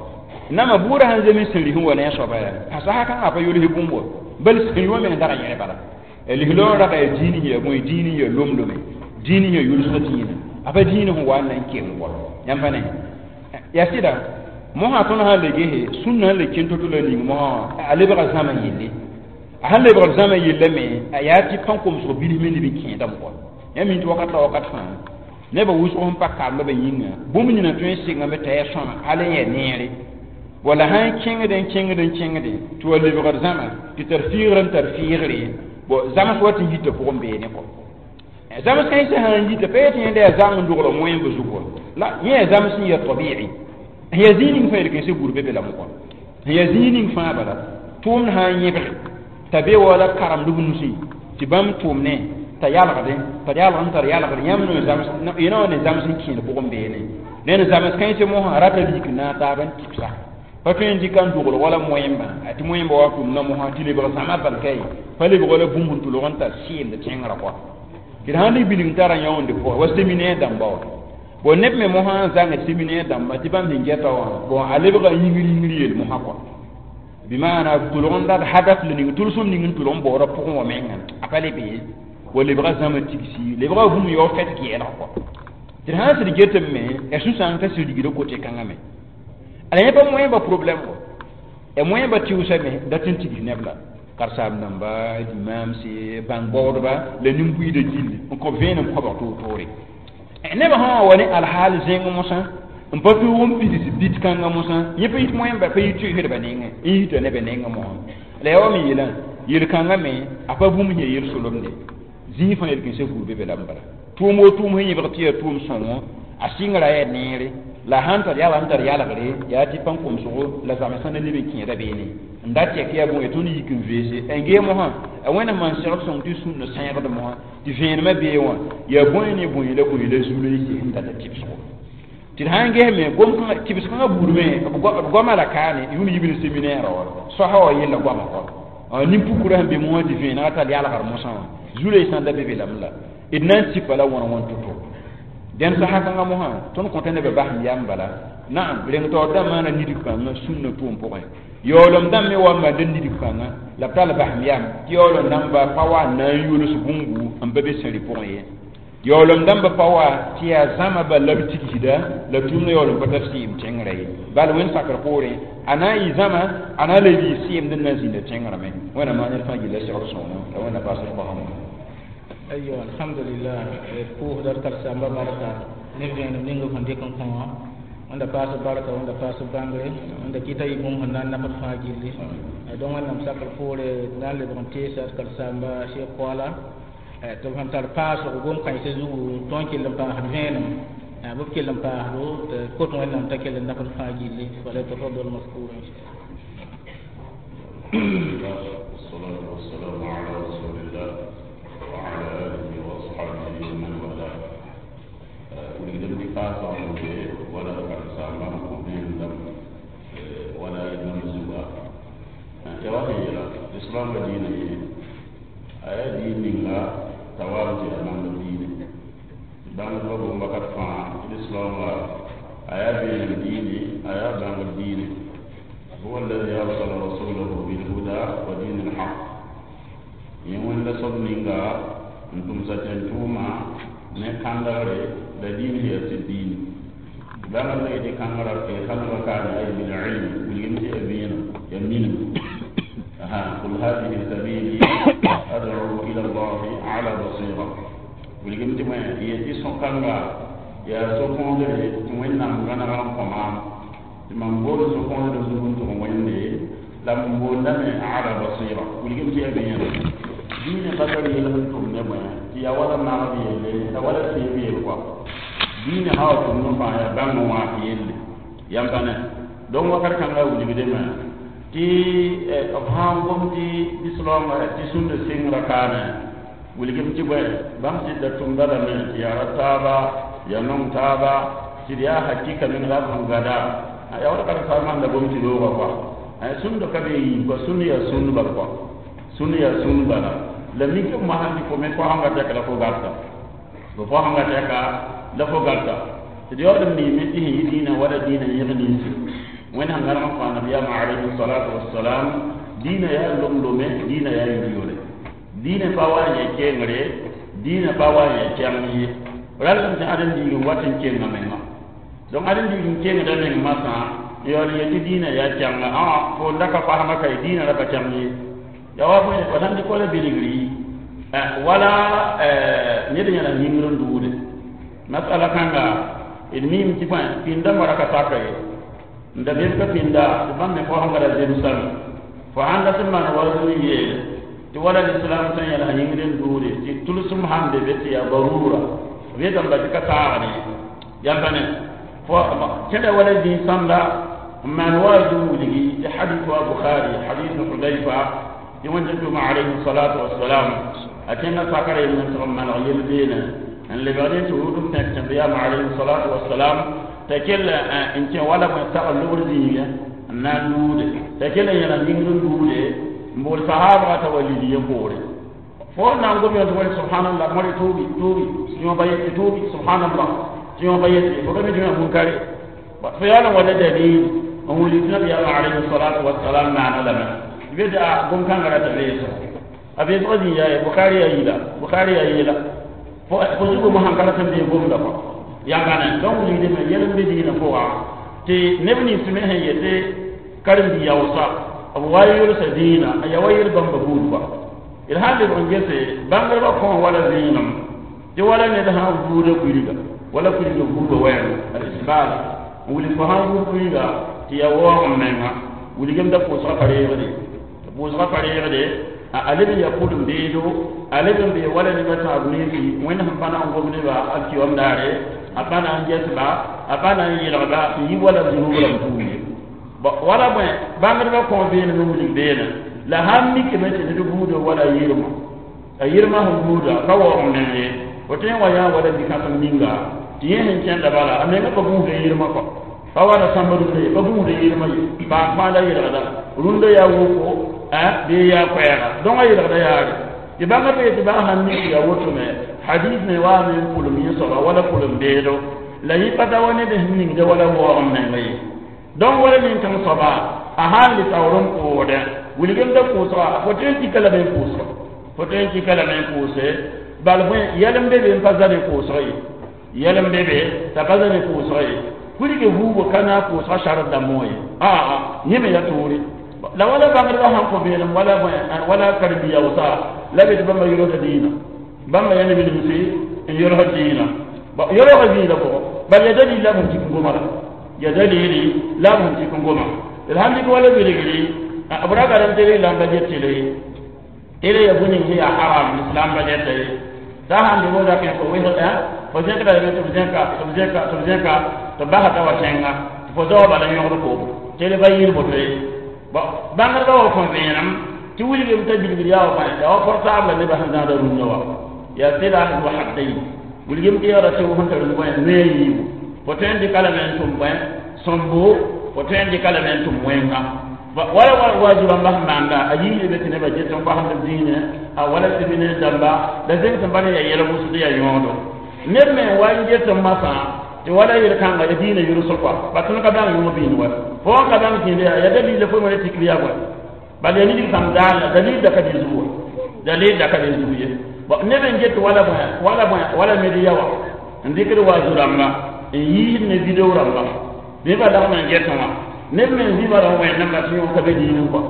Nama bʋʋda sẽn zems sẽn sẽn wa ne a soaba yaa a sasa kãngã pa yols bũmb wa bal sẽn wã meng dag yẽre bala. Lislaoor rag yaa dĩin yaa bõe dĩin yaa lomlome dĩin yaa yolsg dĩinã a pa dĩin sẽn wa n na n keng kɔa yãmb pa ne yaa sɩda mosã tõnd sã n le gese sũnna sẽn le kẽn to-to la ning mosã a lebga zãma yelle a sẽn lebgd zãma yella me a yaa tɩ pãn-komsg bilf me leb n kẽedame kɔa yãmb mi tɩ wakat la wakat fãa nebã wʋsg sẽn pa kambã yĩnga bũmb nina tõe n sɩngame t'a yaa sõma hal n yaa neere wala sã n kẽngd n kẽngd n kẽngde tɩ wa lebgd zãma tɩ tar fiigr n tar fiigre bon zãms wa tɩ yita pʋgẽ beene kɔ zãms kãensã sã n yita pa yetɩ yẽnda yaa zang n dogl moẽmb zugu la yẽ yaa zãms n yaa tabi'i sẽn yaa zĩig ning fãa yel-kãensã bur be be lame kɔ sẽn yaa zĩig ning fãa bala tʋʋmd sã n yẽbge t'a be wala karemd b nusẽ tɩ bãmb tʋʋmne t'a yalgdẽ t'a yalg n tar yalgd yãmb no zãms yẽna wã ne zãms n kẽed pʋgẽ beene ned zãms kãensã mosã rata lik n na n taab n tɩbsa pa tõe n dɩka n dogl wala moẽmbã tɩ moẽmbã wa tʋmda mosã tɩ lebg zãma bal ka ye pa lebg wala bũmb sẽn tʋlg n tar sɩɩmd tẽngrã kɔa tɩ d sãn dɩk bilg n tara yãonde pʋgẽ wa séminaire dãmba wã bon neb me mosã n zãng séminaire dãmba tɩ bãmb sẽn gɛta wã bon a lebga yĩngr yĩngr yel mosã kɔa bɩmaana tʋlg n dat hadaf la ning tʋlsem ning n tʋlg n baoodã pʋgẽ wã menga a pa le be wa lebga zãma tigsi lebga bũmb yao fɛt gɛɛlg kɔa tɩ d sãn sɩd getame me ya sũ-sãang t'a sɩd rigda kote kãngã me ala yẽ pa moẽmba problème wa ya moẽmba tɩʋsame dat n tigs neb la karsaam dãmba dimaamse bãng baoodba la nin-buiidã gilli n kõ vẽenem koabg toor-toore nebã sã wã wa ne alhaal zẽng mosã n pa tõog n pids bit kãngã mosã yẽ pa yit moẽmba pa yit tʋɩsdbã nengẽ n yita nebã nengẽ mosã la yaa wa me yeelã yel-kãngã me a pa bũmb sẽn yaa yel-solemde zĩig fãa yel-kãensã buud be be lame bala tʋʋm o tʋʋm sẽn yẽbg tɩ yaa tʋʋm sõngo a sɩngra yaa neere la sãn tar yala n tar yalgre yaa tɩ pãn-komsgo la zãmsã na leb n kẽeda beene n da tɛk yaa bõe tõnd yik n veese n gee mosã a wẽnnaam maan segd sõng tɩ sũnna sẽegd mosã tɩ vẽenemã bee wã yaa bõe ne bõe la bõe la zu-loeese sẽn data tɩbsgo tɩ d sã n gesme gom-kãngã tɩbs-kãngã buud me b goamã la kaane yũud yibl séminaire wã soasã wã yella goamã kɔ nin-pukurã sẽn be mosã tɩ vẽenegã tar yalgr mosã wã zu-loeesã da be be lame la d na n tipa la wãn wãn to-to dẽn sasa kãngã mosã tõnd kõta nebã basem yam bala naam reng taoor dãmb maana nidg kãngã sũnna tʋʋm pʋgẽ yaoolem dãmb me wa n maanda nidg kãngã la b tall basem yam tɩ yaoolem dãmba pa wa n na n yols bũmbu n pa be sẽri pʋgẽ ye yaoolem dãmba pa wa tɩ yaa zãma bal la b tigsda la tʋʋmdã yaoolem pa tar sɩɩm tẽngrã ye bal wẽnd sakr poorẽ a na n yɩ zãma a na n le yɩ sɩɩmd n na n zĩnda tẽngrã me wẽnnaam maan ned fãa gilla segd sõngo la wẽnna paasd koasã. Ayo alhamdulillah pʋʋsda d karsamba barka ne vẽenem ning b sẽn dɩk n kõ wã wẽnda paas barka wẽnda paas bãngre wẽnda kɩta yɩ bũmb sẽn na n nafd fãa gilli donc wẽnnaam sakr poore na n lebg n teesa d karsamba Cheikh Koala tɩ b sẽn tar paasgo gom-kãensã zugu tõnd kell n paasd vẽenem bɩ b kell n paasdo tɩ kot wẽnnaam t'a kell n nafd fãa gilli falyatafaddal maskuran. والصلاة والسلام على رسول الله وعلى آله وأصحابه ومن والاه. ولقدم بفاسة ولا كرسامة وبين ولا نمزوا يواهي الإسلام دين آية دين لا توارد أمام الدين بان بابو مكت فا الإسلام آية بين الدين آية بان الدين هو الذي أرسل رسوله بالهدى ودين الحق يوم لصب نينغا أنتم ستنتوما نكانداري لدين هي الدين بان لا يدي كانغرا في خلق كان أي بالعلم واليمشي أبين يمين قل هذه سبيلي أدعو إلى الله على بصيرة واليمشي ما يدي سكانغا يا سكوندري وين نام غنا قمام mam bool so-kõosd zug n tʋg wẽnde la m boondame ala basira wilgem tɩ yaa be-yẽna diinã pa tar yel sẽn tʋm ne bõe tɩ yaa wala magd yelle la wala teeb yel kɔa diinã sã wa tʋmd n fãa yaa bãmb n wãas yelle yãmb pa ne donc wakat kãngã wilgdame tɩ b sã n gom tɩ lislaoongã tɩ sũnda sengrã kaane Wilgem tɩ bõe bãmb sɩdda tʋmda lame tɩ yaa ra taaba ya nong taaba tɩ d yaa hakɩka meng la b sẽn gada ya wala karen-saambã sẽn da gom tɩ roogã kɔa sũnd ka be yiib kɔa sũnd yaa sũnd bal kɔa sũnd yaa sũnd bala la mikame mosã tɩ fo me fo sẽn ka tɛka la fo garta fo sẽn ka tɛka la fo garta tɩ d yaool n miime tɩ sẽn yɩ dĩinã wala dĩinã yẽg ninsi wẽnd sẽn gãneg n kõ nabiyaamã alayhi salatu wassalam dĩinã yaa lom-lome dĩinã yaa yʋl-yʋle dĩinã pa wa n yɛ kengre dĩinã pa wa n yɛ kɛng ye ralem tɩ ãdem biig n wat n kenga menga donc ãdem biig n kengda meng masã n yaool n yetɩ dĩinã yaa kɛnga ã fo n da ka fasmã ka ye dĩinã ra pa kɛng ye ya wa bõe fo sãn dɩk wala bilgri wala ned yẽla yĩngr n duude masala kãnga d miime tɩ bõe pĩndã wara ka saka ye n da bem ka pĩnda tɩ bãmb me fo sẽn gara zemsame fo sãn dat n maan wa zũn yeele tɩ wala lislam sẽn yẽls yĩngr n duude tɩ tʋlsem sãn be be tɩ yaa barura b yetame ba tɩ ka taagd ye yãmba ne fo kẽda wala zĩig-sãmda n maan wa zu wilgi tɩ hadith wa Bukhari hadith Hudayfa tɩ wẽnd tʋma alayhi salatu wassalam a kẽnga sakra yemb n tɩg n maneg yel-beene n lebgd n tɩ rʋʋd n pẽk tẽbeyaamã alayhi salatu wassalam t'a kell n kẽ wala bõe sagl lobr zĩigẽ n na n luude t'a kell n yẽls yĩngr n duude n bool sahaabga t'a wa lid yẽ poore fo na n gom yõ tɩ wala subhanallah mõre tuubi tuubi yõ ba yetɩ tuubi subhanallah tɩ yõ ba yetɩ fo ka mi tɩ yõ munkare fo yaool n wala dalil n wilg tɩ nabiyaamã alayhi salatu wassalam maana lame tɩ be tɩ a gom-kãngã rata beesg a beesgã zĩ yaa ye Bukhari yaa yila Bukhari yaa yeela fo zugu mosã ka rat n bee gomda kɔ yãmbane donc wilgdame yɛl n be dĩinã pʋga tɩ neb nins me sẽn yetɩ karen-bi-yaoosa b wa yʋlsa dĩinã a yaa wa yel-bãmba buud kɔa d sãn lebg n gese bãngdbã kõ wala zẽenem tɩ wala ned sã n vuuda kuiga wala kuiga vuuga wɛɛng al-isbal n wilg fo sãn vuud kuiga tɩ yaa waoog n menga wilgem da pʋʋsga pa reegde tɩ pʋʋsga pa reegde a leb n yaa pʋlem beedo a leb n bee wala nebã tãab ninsi wẽnd sẽn pa na n gom nebã alkiyom daare a pa na n ges-ba a pa na n yelgba n yi wala zunub rãmb tuum ye wala bõe bãngdbã kõ beene me wilg beene la sãn mikame tɩ ned buuda wala yirmã a yirmã sẽn buuda ka waoog n meng ye fo tõe n wa yã wala bi-kãsem ninga tɩ yẽ sẽn kẽnda bala a menga pa gũusda yirmã kɔ pa wara sãmb rũndã ye pa gũusda yirmã ye paam fãa la yelgda rũndã yaa woko bee yaa koɛɛga dõngã yelgda yaare tɩ bãngdbã yetɩ baa sãn mik yaa woto me hadis me waame n pʋlem yẽ soaba wala pʋlem beedo la yẽ pa da wa ned sẽn ningda wala waoog n menga ye donc wala nin-kãng soaba a sãn le taoor n pʋʋdẽ wilgem da pʋʋsga fo tõe n tika lame n pʋʋsga fo tõe n tika lame n pʋʋse bal bõe yɛl n be be n pa za ne pʋʋsg ye yɛl n be be t'a pa za ne pʋʋsg ye kurge vuugo ka na pʋʋsga sard dãmbõ ye aa yẽ me ya toore la wala bãngdbã sãn kõ beelem wala bõe wala karen-bi-yaoosa la be tɩ bãmba yolsda dĩinã bãmba yaa neb nimsi n yolsd dĩinã yolsga zĩigã pʋgẽ bal ya dalil la b sẽn tik n goma la ya dalili la b sẽn tik n goma d sãn dɩk wala bilgri b ra garem tɩ islam ba get tɩle tɩle ya bũmb ning sẽn yaa haram islam ba geta ye t'a sãn dɩg fo zakẽ fo wɩsg fo zẽkda lame tɩ b zẽka tɩ b zẽka tɩ b zẽka tɩ b basa t'a wa kẽnga tɩ fo zaoa bala yõgd ko tɩle ba yɩɩr boto ye bãngdbã wa kõ vẽenem tɩ wilgem t'a bilgr yaa wa bõe yaa wa portable la nebã sẽn zãada rũndã wa yaa silah zu haddayn wilgem tɩ yaoora tɩ sẽn tar bõe noe yiibu fo tõe n dɩka lame n tʋm bõe sõmbo fo tõe n dɩka lame n tʋm wẽnga wala waazu rãmbã sẽn maanda a yiisd be tɩ nebã get n kosmd b dĩinẽ a wala séminaire dãmba la zeng sẽn pa ne yaa yɛl wʋsd yaa yõodo ned me n wa n get n masã tɩ wala yel-kãnga ya dĩinã yʋlsg kɔa ba tõnd ka bãng yõog biin wa fo n ka bãng kẽende yaa ya dalil la fo wẽna tikr yaa bõe bal yaa nidg sãm daal dalil da ka dɩ zugu wa dalil da ka dɩ zugu ye neb n get wala bõe wala bõe wala media wa n dɩkd waazu rãmba n yiisd ne video rãmba bɩ ba lagm n getẽ wã neb me n zĩba ra wẽnnãmba tɩ yõ ka be dĩinẽ kɔ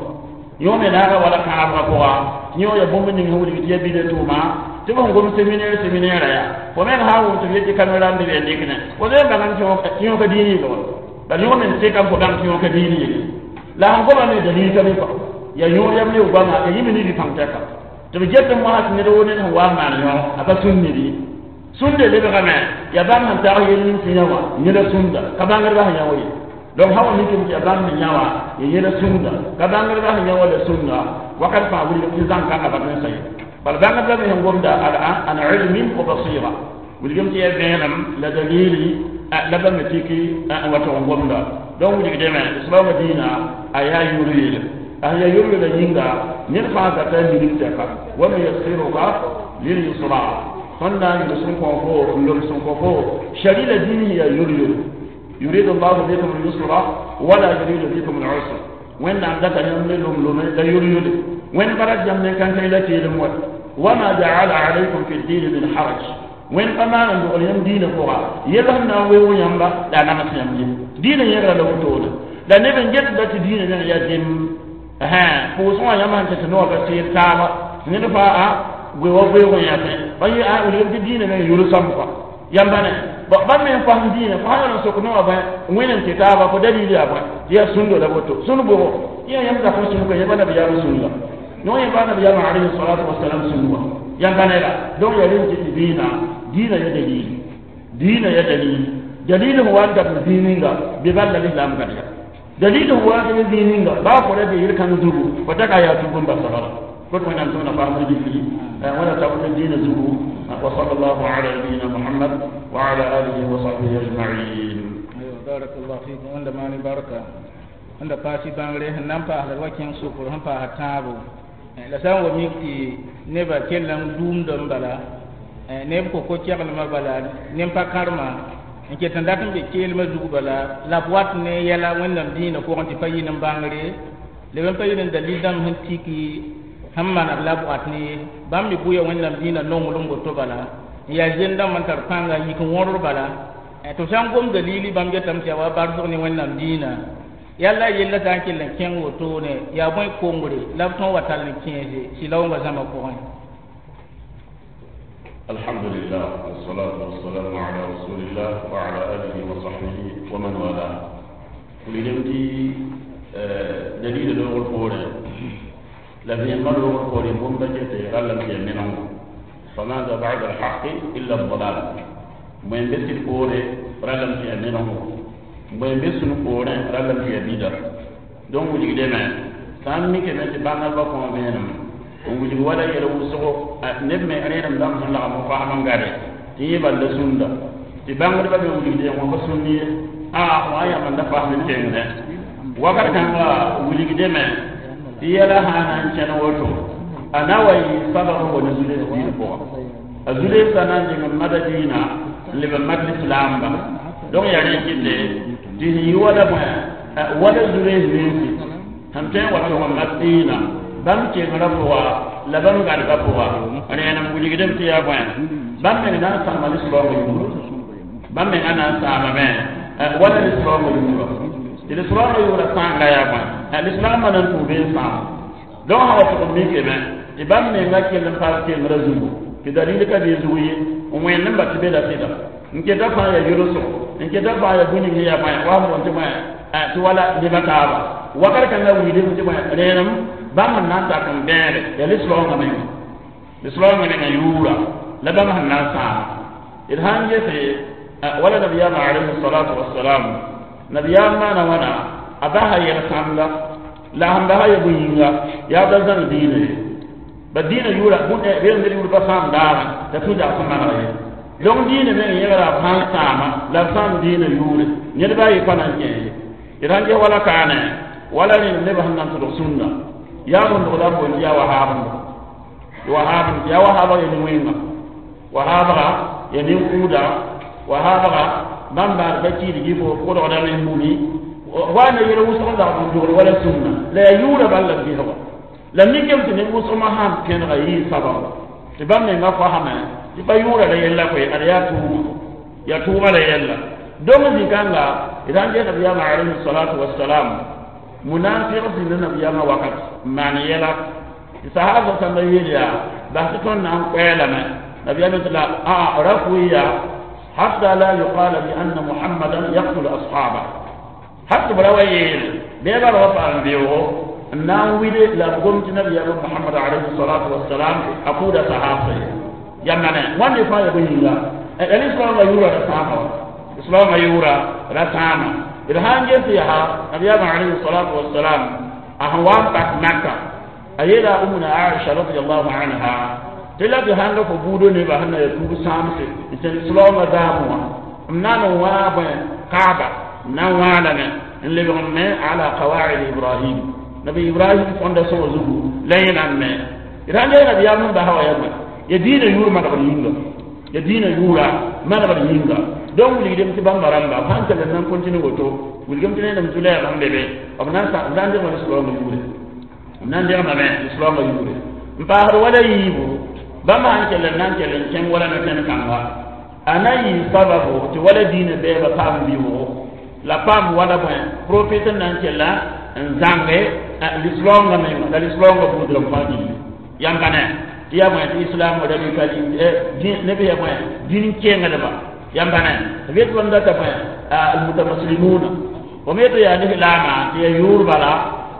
yõ me naaga wala kãabgã pʋga tɩ yõ ya bũmb ning sẽn wilg tɩ ya bida tʋʋma tɩ b sẽn gom séminaire séminaire yaa fo meng sã n wʋm tɩ b yetɩ caméra n be be n dɩkne fo zoe n bãng tɩ yõ ka dĩin yɩl wa bal yõ me n tɩka n fo bãng tɩ yõ ka dĩin yɩl la sẽn goma me dalil ka be kɔ ya yõor yam ne goama ya yɩ me ne rɩ-pãng tɛka tɩ b get n mosã tɩ ned wo ned sẽn wa n maan yõ a pa sũnd ned ye sũnde lebgame ya bãmb sẽn tag yel ning sẽn yã wã yẽla sũnda ka bãngdbã sẽn yã wa ye donc sã wa mikame tɩ ya bãmb me yã wã ya yẽla sũnda ka bãngdbã sẽn yã wa la sũnda wakat fãa wilg tɩ zãng kãngã bat n sa ye Bal bãngd la me sẽn gomda an ilmin wa basira wilgem tɩ yaa vẽenem la dalili la bãmb me tiki n wa tog n gomda. Donc wilgdame lislaamã dĩinã a yaa yʋr-yele a sẽn yaa yʋr-yelã yĩnga ned fãa zata a minim tɛka wa nuyassiruka lilyusra tõnd na n yʋls n kõ fo n loms n kõ fo shari la dĩin sẽn yaa yʋr-yele yuridu llahu bikum lyusra wala yuridu bikum lusra wẽnnaam data yãmb ne lom-lome la yʋr-yʋle wẽnd pa rat yãmb ne kãnkẽ la keelem wa wama jaala alaykum fi ddini min haraj wẽnd pa maan n dogl yãmb diinã pʋga yell sẽn na n weoog yãmba la a nams yãmb ye diinã yẽgra la wotone la neb n getda tɩ diinã meng yaa dem pʋʋsg wã yãmb sẽn tɩ tɩ noog ka sɩɩd taaba ned faa goe wa goeeg n yãsẽ pa yɩ a wilgem tɩ diinã meng yʋl sãmb kɔa yãmba ne bãmb me n fasem diinã fo sã n sok noogã bõe wẽnd n tɩ taaba fo dalil yaa bõe tɩ yaa sũndo la woto sũnd bʋgo yã yãmb zakẽ sũnd ka yẽba nabiyaam sũnda no yẽba nabiyaam alayhi salatu wasalam sũnd wã yãmba ne la donc yaa rẽnd tɩ tɩ dĩinã diinã ya dalil diinã ya dalil dalil sẽn wa n dat zĩig ninga bɩ bal la lislaam gad ya dalil sẽn wa n dat zĩig ninga baa fo ra be yel-kãng zugu fo taka yaa tug n basa bala kot wẽnnaam tõnd na paam gilli wẽna tab ne diinã zugu wa sallallahu ala nabiyina muhammad wa ala alihi wa sahbihi ajma'in. Barakallahu fikum wẽnda maane barka wẽnda paas y bãngre sẽn na n paasda wa kẽng sʋkr sẽn paasa tãabo la sã n wa mik tɩ nebã kell n duumdame bala neb ko-keglmã bala nem-pa-kãrema n ket n dat n be keelmã zug bala la b wat ne yɛla wẽnnaam dĩinã pʋgẽ tɩ pa yɩ n bãngre leb n pa yɩ n dalil dãmb sẽn tiki sẽn maneg la b wat ne ye bãmb me bʋya wẽnnaam dĩinã nonglem woto bala n yaa zend dãmb n tar pãnga n yik n wõrd bala tɩ b sã n gom dalili bãmb getame tɩ yaa wa barsg ne wẽnnaam dĩinã yalla yella sã n kell n kẽng wotone yaa bõe kongre la b tõog wa tall n kẽese sɩlaoongã zãma pʋgẽ. الحمد لله والصلاة والسلام على رسول الله وعلى آله وصحبه ومن والاه. ولدمتي دليل لوغ الفوري لفي ما لوغ الفوري بومبا جتي غلم في منهم فماذا بعد الحق إلا الضلال من بس الفوري رلم في منهم من بس الفوري رلم في بيدا دون ولدمه سامي كما تبان البقوم بينهم n wilg wala yɛl wʋsgo neb me rẽenem dãmb sẽn lagm n faam n gade tɩ yẽ bal la sũnda tɩ bãngdbã me wilgde wã pa sũnd ye a wã yãmb n da fasd n kengdẽ wakat kãnga wilgdame tɩ yɛla sã na n kẽn woto a na wa yɩ sabab n wa ne zules diin pʋga a zulesã na n deng n mada diinã n leb n mak lislaamba donc yaa rẽ kɩte tɩ sẽn yɩ wala bõe wala zules ninsi sẽn tõe n wa tʋg n mak diinã bãmb kengrã pʋga la bãmb gadbã pʋga rẽenem wilgdame tɩ yaa bõe bãmb meng na n sãama lislaoongã yʋʋra bãmb menga na n sãamame wala lislaoongã yʋʋra tɩ lislaoongã yʋʋra sãanga yaa bõe lislaambã na n tʋʋ bee n sãama donc sã wa tʋg n mikame tɩ bãmb menga kell n paas kengrã zugu tɩ dalil ka bee zug ye n wẽnd n ba tɩ be la sɩda n keta fãa yaa yʋlsgo n keta fãa yaa bũn ning yaa bõe wa sẽn boond tɩ bõe tɩ wala nebã taaba wakat kãngã wilgdame tɩ bõe rẽenem bãmb sẽn na n tak n bẽede yaa lislaoongã menga lislaoongã menga yʋʋra la bãmb sẽn na n sãama d sãn gese wala nabiyaamã alayhi salatu wasalam nabiyaam maana wãna a basa yɛl-sãmda la sẽn basa ya bũn-yĩnga yaa ba zãng diinã ye ba diinã yʋʋra beel ned yʋʋr pa sãam daagã t'a tũ dag sẽn maneg ye donc diinã meng yẽgra b sãn sãama la b sãam diinã yʋʋre ned ba yɩ pa na n kẽ ye d sãn ges wala kaane wala rẽnd neb sẽn na n tʋlg sũnna yaa bũndg la b boond yaa wahaabndo wahaab yaa wahaabg ya nin-wẽnga wahaabga ya nin-kʋʋda wahaabga bãmb baad pa kiidgi fo pʋgdgdame n bũni wa na yel wʋsg n zagd n dogl wala sũnna la yaa yʋʋra bal la b gesga la mikame tɩ nin-wʋsgmã sãn kẽnega yɩɩ sabab tɩ bãmb menga fasame tɩ pa yʋʋra la yella koe ad yaa tʋʋma yaa tʋʋma la yella donc zĩ-kãnga d sãn ges nabiyaamã alayhi salatu wasalam munafiq zĩnda nabiyaamã wakat n maan yɛla tɩ sahaba sãmba yeel yaa bas tɩ tõnd na n koɛɛlame nabiyaamã tɩ la a ra fʋɩ hatta la yuqala bi anna muhammadan yaqtulu ashaba har tɩ b ra wa yeel bɩ ba ra wa paam beoogo n na n wide la b gom tɩ nabiyaamã muhammad alayhi salatu wasalam a kʋʋda sahabsa ye yãmba ne wãnde fãa ya bõe yĩnga la lislaamã yʋʋra ra sãama wa lislaamã yʋʋra ra sãama d sãn ges yaa nabiyaamã alayhi salatu wasalam a sẽn wa n pak maka a yeela umuna aisha radiallahu anha Tɩ la tɩ sãn fo buudã nebã sẽn na yaa tuub sãamse n sẽn soaoongã zaamẽ wã m na n wãag bõe kaaba m na n wãadame n lebg n me ala qawaid Ibrahim, nabi Ibrahim tõnda sõg zugu la yẽ na n me d sãn yaa nabiyaam sẽn basa wã yaa bõe ya diinã yʋʋr manegd yĩnga, ya diinã yʋʋra manegd yĩnga. Donc wilgdem tɩ bãmba rãmba b sãn kell n na n kõntine woto, wilgem tɩ ned zulɛɛg sẽn be be b na n degma lislaoongã yʋʋre, b na n degmame lislaoongã yʋʋre n paasd wala yiibu. Bãmba sãn kell n na n kell n kẽng wala no-kẽnd kãnga a na n yɩ sababo tɩ wala diinã bɛɛba paam vɩʋʋgo la paam wala bõe profet n na n kella n zãnge lislaoongã menga la lislaoongã buud rãmb fãa gilli. Yãmb pa ne tɩ yaa bõe tɩ islam radicalité neb yaa bõe dĩn kengdba. Yãmb pa ne b yet bãmb data bõe almutamaslimuna fo me tɩ yaa lislaama tɩ yaa yʋʋr bala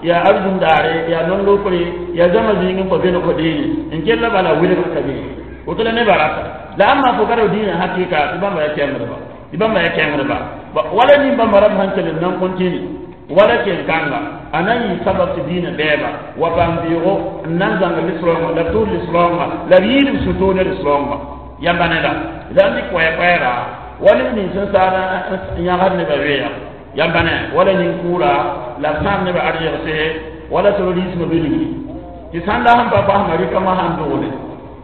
yaa arzũm daare yaa non-lokre yaa zãma zĩig n pa beneg fo deene n kell bala wilgr ka be woto la nebã rata la ãmba fo ka ra dĩinã hakɩka tɩ bãmba yaa kẽngdba, tɩ bãmba yaa kẽngdba. Wala nin bãmba rãmb sãn kell n nan kõntini wala kel-kãnga a na n yɩ sabab tɩ dĩinã bɛɛba wa paam vɩʋʋgo n na n zãng lislaoongã la b tʋʋd lislaoongã la b yɩɩd b sũ-toog ne lislaoongã. Yãmba neda la n dɩk koɛɛ-koɛɛga wa neb nins sẽn saad n yãgd nebã weeya. Yãmba ne wala nin-kʋʋra la b sãam nebã arzeegse wala terrorisme be ligri tɩ sãnda sẽn pa basma rɩkãmã sãn dogle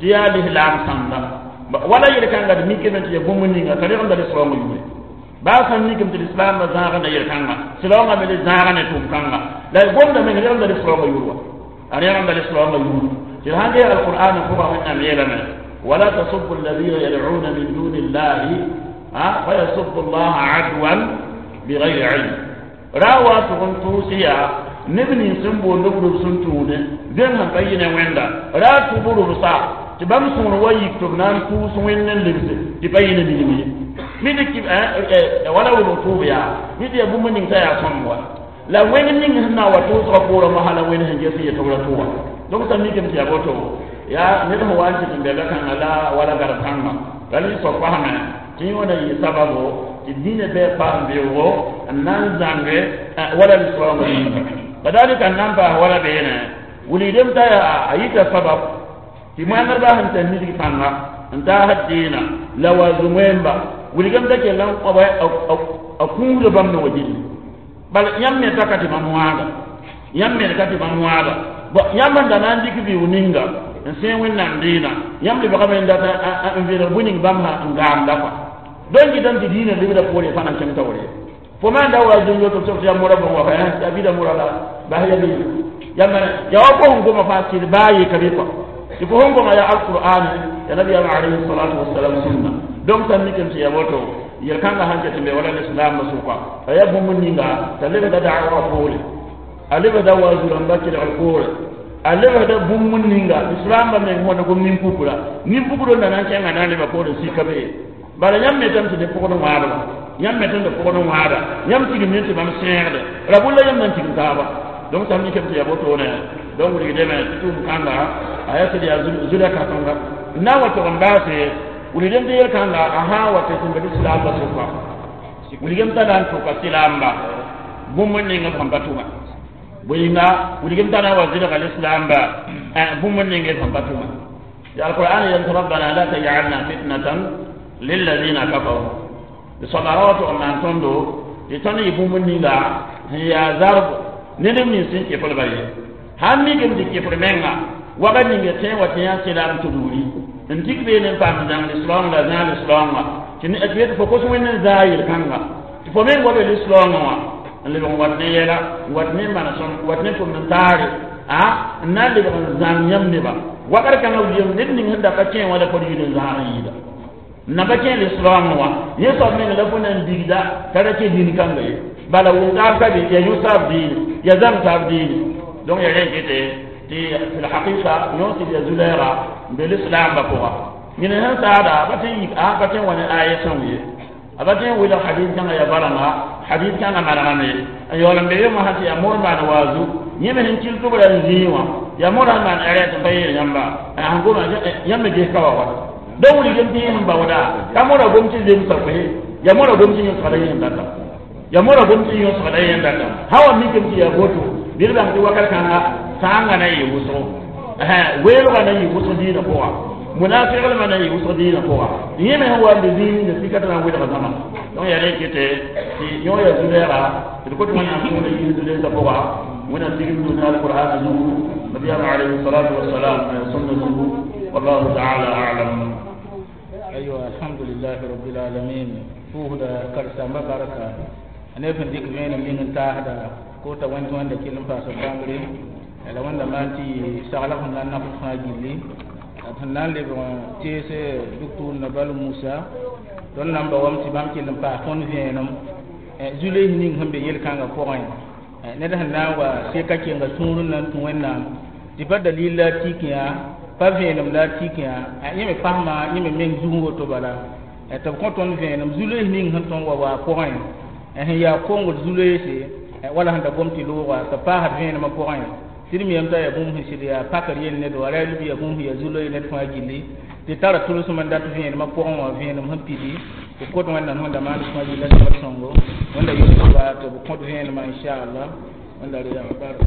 tɩ yaa lislaam sãnda wala yel-kãnga d mikame tɩ ya bũmb ninga t'a regemda lislaoongã yʋʋre baa sãn mikame tɩ lislaambã zãagda yel-kãnga silaoongã me le zãaga ne tʋʋm-kãnga la gomda meng regemda lislaoongã yʋʋr wa a regemda lislaoongã yʋʋr tɩ d sãn ges alqur'an pʋgã Wẽnnaam yeelame wala tasubu alladina yad'una min duni llahi fayasubu llaha adwan bigayri ilm ra wa tʋg n tʋʋs yaa neb nins sẽn boond b rʋb sẽn tũude zem sẽn pa yɩ ne Wẽnda ra tʋ b rʋbsa tɩ bãmb sõor wa yik tɩ b na n tʋʋs Wẽnd n lebse tɩ pa yɩ ne minim ye mi tɩ wala wʋlg tʋʋb yaa mi tɩ yaa bũmb ning t'a yaa sõmb wa la wẽng ning sẽn na n wa tʋʋsgã poorã mosã la wẽnd sẽn ges n yet b ra tʋ wã. Donc sã mikame tɩ yaa boto yaa ned sẽn wa n tɩ n bɛla kãnga la wala garb kãngã la ligsg pasame tɩ yẽ wã na yɩ sababo tɩ dĩinã bɩ paam vɩʋʋgo n na n zãnge wala lislaoongã yĩnga. Kadalika n na n paas wala beene wilgdem t'a yaa a yita sabab tɩ moɛngdbã sẽn tar nisg pãnga n taasd dĩinã la wa zu-wẽmba wilgem t'a kell n a kũusda bãmb ne wa gilli bal yãmb me ta ka tɩ bãmb wãaga, yãmb me ka tɩ bãmb wãaga. Yãmb n da na n dɩk vɩʋʋg ninga n sẽe Wẽnnaam dĩinã yãmb lebgame n data n vẽneg bõe ning bãmb sã n gaamda kɔa donc gɩtame tɩ dĩinã lebda poore fãa na n kẽng taoore fo maan da wa zũn yoto tɩ yaa mora bõn wa yaa bɩda mora la bas ya be yãmba yaa wa fo sẽn goma fãa sɩd baa ye ka be kɔa tɩ fo sẽn goma yaa alqur'an ya nabiyaam alayhi salatu wasalam sunna. Donc sãn mikame tɩ yaa woto yel-kãngã sãn ket n be wala lislaambã sʋka a yaa bũmb ninga t'a lebsda da'wa poore, a lebsda wa zu-rãmbã kelgr poore, a lebsda bũmb ninga lislaambã meng wõnd gom nin-pukra nin-pukr n da na n kẽnga na n leba poore sika be bala yãmb me tame tɩ ne pʋgd wãadba yãmb me tẽnd pʋgd wãada yãmb tigim ne tɩ bãmb sẽegde ra bulla yãmb na n tigim taaba. Donc sãn mikame tɩ yaa wotone donc wilgdeme tɩ tʋʋm kãnga a yaa sɩd yaa zulã kãsenga n na n wa tog n baase wilgdem tɩ yel-kãnga a sã n wa tɩ sẽn be lislaambã sʋka wilgem t'a na n tʋka silaamba bũmb n ning b sẽn pa tʋma bõe-yĩnga wilgem t'a na n wa zɩlga lislaamba bũmb n ning b sẽn pa tʋma tɩ alqur'an yel tɩ rabbana la tajalna fitnatan lilladina kafaru tɩ soaba ra wa tog n maan tõndo tɩ tõnd yɩ bũmb ninga sẽn yaa zarb ne neb nins sẽn keflba ye sãn mikame tɩ kefr menga wakat ninga tẽ wa tɩ yã sɩlaam tudgri n tik beene n paam zãng lislaoong la zãag lislaoongã tɩ yet fo kos Wẽnd n zaa yel-kãnga tɩ fo meng wa be lislaoongã wã n lebg n wat ne yɛla n wat ne manesem n wat ne tʋmd n taare a n na n lebg n zãng yãmb neba wakat kãngã wilgem ned ning sẽn da pa kẽ wã la fo d yid n zãag n yɩɩda n na pa kẽ lislaoongã wã yẽ soab meng la fo na n digda t'a ra kẽ dĩn-kãnga ye bala wʋm-taab ka be yaa yũ-saab diine yaa zãng-taab diine. Donc ya rẽn kete tɩ fi lhaqiqa yõ sɩd ya zu-lɛɛga n be lislaambã pʋga yẽne sẽn saada ba tɩ yik a pa tɩ n wa ne aya sõng ye a ba tɩ n wilg hadis kãngã ya barãnga hadis kãngã manegame n yaool n be yemã sã tɩ yaa mor maan waazu yẽ me sẽn kɩl tʋbrã n zĩig wã yaa morã n maan ɛrɛt n pa yeel yãmba sẽn goma yãmb me ges ka wa wala donc wilgem tɩ yẽ sẽn baooda ka mora gom tɩ zemsa koe yaa mora gom tɩ yõsgda yẽ data yaa mora gom tɩ yõsgda yẽ data sã wa mikame tɩ yaa boto bɩ d bãng tɩ wakat kãnga sãangã na n yɩ wʋsgo weelgã na n yɩ wʋsg dĩinã pʋga Munafiqlmã na n yɩ wʋsg dĩinã pʋga yẽ me sẽn wa n be zĩig ninga sika t'a na n welga zãma donc yaa rẽ kete tɩ yõ yaa zu-lɛɛga tɩ d kot wẽnnaam tõoda yiis zu-lɛɛsã pʋga wẽnnaam tigim dũni alqur'ana zugu nabiyaam alayhi salatu wasalam sunna zugu wallahu taala alam. Aywa, alhamdulillahi rabbil alamin. Pʋʋsda karen-saambã barka a neb sẽn dɩk vẽenem ning n taasda kota wẽnd tɩ wẽnda kell n paas b bãngre la wẽnda maan tɩ yɩ saglg sẽn na n nafd fãa gilli d sẽn na n lebg n tees doctor Nabal Musa tõnd na n ba wame tɩ bãmb kell n paas tõnd vẽenem zu-loees ning sẽn be yel-kãngã pʋgẽ ned sẽn na n wa seka kenga sũur n na n tũ wẽnnaam tɩ pa dalil la a tik yã pa vẽenem la a tik yã yẽ me pasma yẽ me meng zug woto bala tɩ b kõ tõnd vẽenem zu-loees ning sẽn tõnd wa waa pʋgẽ sẽn yaa kongd zu-loeese wala sẽn da gom tɩ looga tɩ paasd vẽenemã pʋgẽ tɩ d miyame t'a yaa bũmb sẽn sɩd yaa pakr yell ned wa ra b yaa bũmb sẽn yaa zu-loees ned fãa gilli tɩ tara tʋlsem n dat vẽenemã pʋgẽ wã vẽenem sẽn pidi tɩ kot wẽnnaam sẽn da maan fãa gilla sabr sõngo wẽnda yʋsba tɩ b kõt vẽenemã inchallah wẽnda re yaa barka.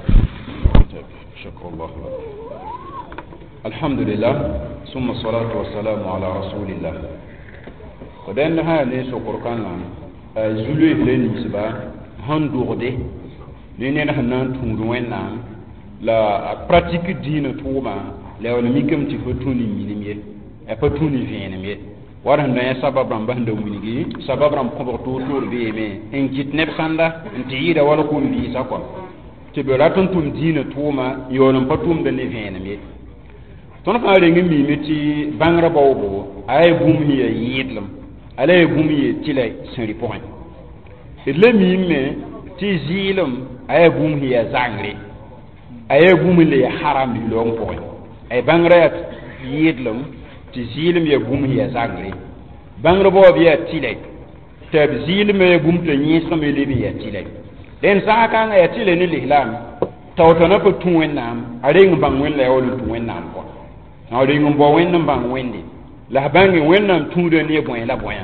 شكر الله لك. الحمد لله ثم الصلاة والسلام على رسول الله. ودين ها ne sokor kãngã zu-loees le ninsba sẽn dogde ne ned sẽn na n tũud wẽnnaam la a pratique dĩinã tʋʋma la ya wall mikame tɩ fo tũ ne minim ye a pa tũ ne vẽenem ye war sẽn da yã sabab rãmba sẽn da wilgi sabab rãmb kõbg toor-toor beeme n kɩt neb sãnda n tɩ yɩɩda wala kom vɩɩsã kɔa tɩ b rat n tʋm dĩinã tʋʋma yaool n pa tʋmda ne vẽenem ye tõnd fãa reng n miime tɩ bãngrã baoobo a yaa bũmb sẽn yaa yɩɩdlem a la yaa bũmb yaa tɩla sẽn rɩ pʋgẽ d la miime tɩ zɩɩlem a yaa bũmb sẽn yaa zangre a yaa bũmb la yaa haram lislaoong pʋgẽ ay bãngrã yaa yɩɩdlem tɩ zɩɩlem yaa bũmb sẽn yaa zangre bãngr baoob yaa tɩlɛ tɩ b zɩɩlmã yaa bũmb t'a yẽesgame leb n yaa tɩlɛ dẽn sã kãngã yaa tɩlɛ ne lislaam taoota na pa tũ wẽnnaam a reng n bãng wẽnd la yaa wall n tũ wẽnnaam kɔa a reng n bao wẽnd n bãng wẽnde la f bãnge wẽnnaam tũuda ne bõe la bõe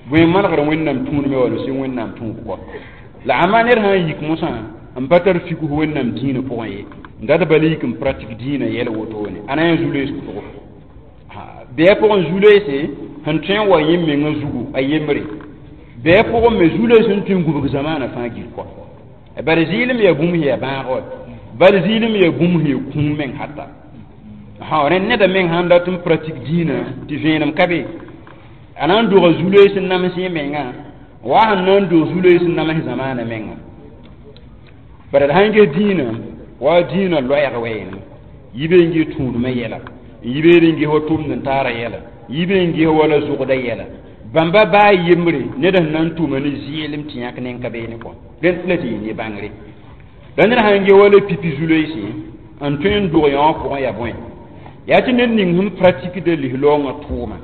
bõe manegr wẽnnaam tũudme wall sɩ wẽnnaam tũub kɔ la ãmba ned sã n yik mosã n pa tar figs wẽnnaam dĩinã pʋgẽ ye n dat bala yik n pratique dĩinã yɛl wotone a na yã zu-loees pʋgɔ bɩ a pʋgẽ zu-loeese sẽn tõe n wa yẽ mengã zugu a yembre bɩ a pʋgẽ me zu-loees sẽn tõe n gubg zamaanã fãa gil kɔ bari zɩɩlem yaa bũmb sẽn yaa bãag wa bal zɩɩlem yaa bũmb sẽn yaa kũum meng hata ha rẽnd neda meng sãn dat n pratique dĩinã tɩ vẽenem ka be a na n doga zu-loees n nams yẽ mengã wa sẽn na n dog zu-loees n nams zamaanã menga bara d sãn ges dĩinã wa dĩinã loɛɛg wɛɛne yi be n ges tũudmã yɛla n yi beed n ges wa tʋmd n taara yɛla yi be n ges wala zʋgda yɛla bãmba baa yembre ned sẽn na n tʋma ne zɩɩlem tɩ yãk nen ka beene kɔ rẽnd la tɩ yɩ ne bãngre la ned sãn ge wala pipi zu-loeese n tõe n dog yã wã pʋgẽ yaa bõe yaa tɩ ned ning sẽn pratikda lislaoongã tʋʋma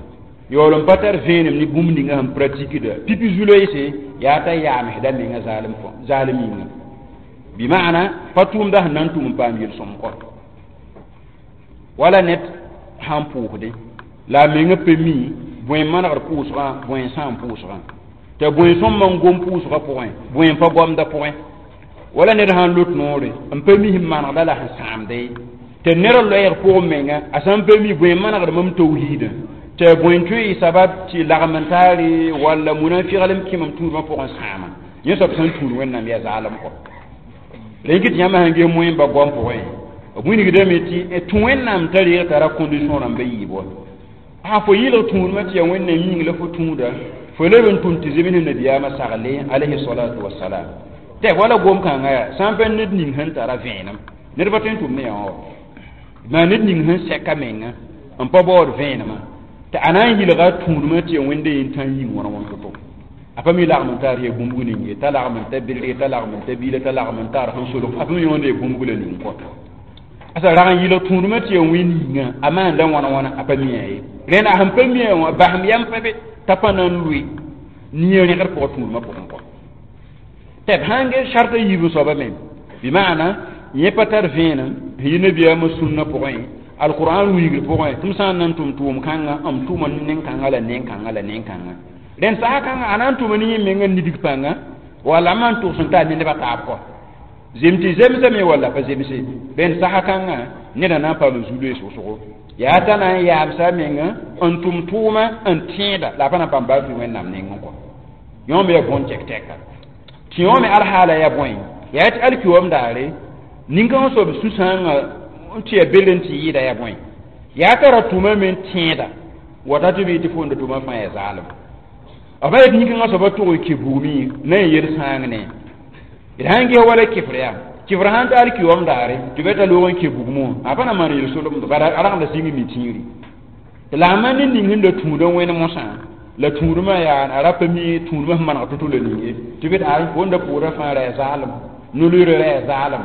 yaool n pa tar vẽenem ne bũmb ninga sẽn pratikda pipi zu-loeese yaa t'a yaamsda menga zaalem zaalem yĩnga bɩ maana pa tʋʋmda sẽn na n tʋm n paam yel-sõm kɔ wala ned sãn pʋʋsdẽ la a menga pa mi bõe manegd pʋʋsgã bõe n sãam pʋʋsgã t'a bõe sõmba n gom pʋʋsgã pʋgẽ bõe n pa gomda pʋgẽ wala ned sãn lot noore n pa mi sẽn manegda la sẽn sãamda ye tɩ ned loɛɛg pʋgẽ menga a sã n pa mi bõe manegd mam tawhiidã tɩ bõe n tõe y sabab tɩ lagm n taare walla munafiglem kẽmem tũudmã pʋgẽ sãama yẽ soab sẽn tũud wẽnnaam yaa zaalem kɔ la yĩng tɩ yãmb sãn ges moẽmba goam pʋgẽ b wilgdame tɩ tũ wẽnnaam t'a reeg tara condition rãmba yiib wa a fo yɩlg tũudmã tɩ yaa wẽnnaam yĩng la fo tũuda fo leb n tũm tɩ zems nabiyaamã sagle alayhi salatu wasalam tɩ wala gom-kãngã yaa sã n pa ned ning sẽn tara vẽenem ned pa tõe n tʋm ne yã wã maa ned ning sẽn sɛka menga n pa baood vẽenemã tɩ a na n yɩlga tũudmã tɩ yaa wẽnda yen tã n yĩng wãn wãn to-to a pa mi lagm n taar yaa bũmb ning ye t'a lagm n ta bɩrg t'a lagm n ta biila t'a lagm n taar sẽn solg a pa mi yõnd yaa bũmb la ning kɔ asa rag n yɩlg tũudmã tɩ yaa wẽnd yĩnga a maanda wãna wãna a pa mi ye rẽnd a sẽn pa mi wã basem yam pa be t'a pa na n lʋɩ nia rẽgd pʋgã tũudmã pʋgẽ kɔ tɩ b sãn ges sarta yiib soaba me bɩ maana yẽ pa tar vẽenem sẽn yɩ nabiyaamã sũnnã pʋgẽ alqur'an wilgr pʋgẽ tɩ m sã n na n tʋm tʋʋm-kãngã m tʋma nen-kãngã la nen-kãngã la nen-kãngã rẽnd sasa kãngã a na n tʋma ne yẽ menga nidg pãnga walla man tʋgs n taa ne nebã taab kɔ zem tɩ zemsame walla pa zemse rẽnd sasa kãngã Neda na n paam zu-loees wʋsgo, yaa t'a na n yaamsa a menga n tʋm tʋʋma n tẽeda la a pa na n paam baa fɩ Wẽnnaam nengẽ kɔ. Yõ me yaa bõn tɛk-tɛka tɩ yõ me alhaala yaa bõe? Yaa tɩ alkiom daare nin-kãngã soab sũ-sãangã n tɩ yaa bel n tɩ yɩɩda yaa bõe? Yaa t'a ra tʋmame n tẽeda wata tɩ bɩ tɩ fo n da tʋma fãa yaa zaalem. B pa yet nin-kãngã soaba tʋg n kɩ bugmẽ na n yel sãang ne d sãn ges wala kɩfr yaa kɩfr sãn ta alkiom daare tɩ bɩ t'a loog n kɩ bugmẽ wã, a pa na maan yel-solemdo, bara a ragda sɩng mi tĩiri. La a maan ne ning sẽn da tũudã wẽne mosã la tũudmã yaa a ra pa mi tũudmã sẽn maneg to-to la ning ye tɩ bɩ t'a fo n da pʋʋrã fãa ra yaa zaalem, no-loeerã ra yaa zaalem,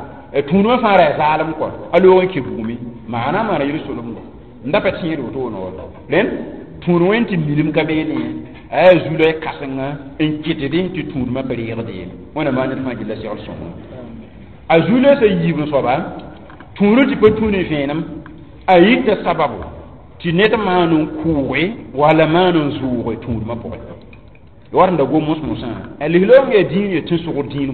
tũudmã fãa ra yaa zaalem kɔ, a loog n kɩ bugmẽ maana maana yel-solemdo n da pa tẽed wotone wa. Rẽnd tũud wẽn tɩ minim ka beene a yaa zu-loe kãsenga n kɩtdẽ tɩ tũudmã pa reegd ye. Wẽnna maan ned fãa gilla segl sõngo. A zu-loeesã yiib n soaba tũudã tɩ pa tũ ne vẽenem, a yita sababu tɩ ned maan n kʋʋge wala maan n zʋʋge tũudmã pʋgẽ. Wat n da gom mos-mosã a lislaoong yaa dĩin ya tẽn-sogd dĩin.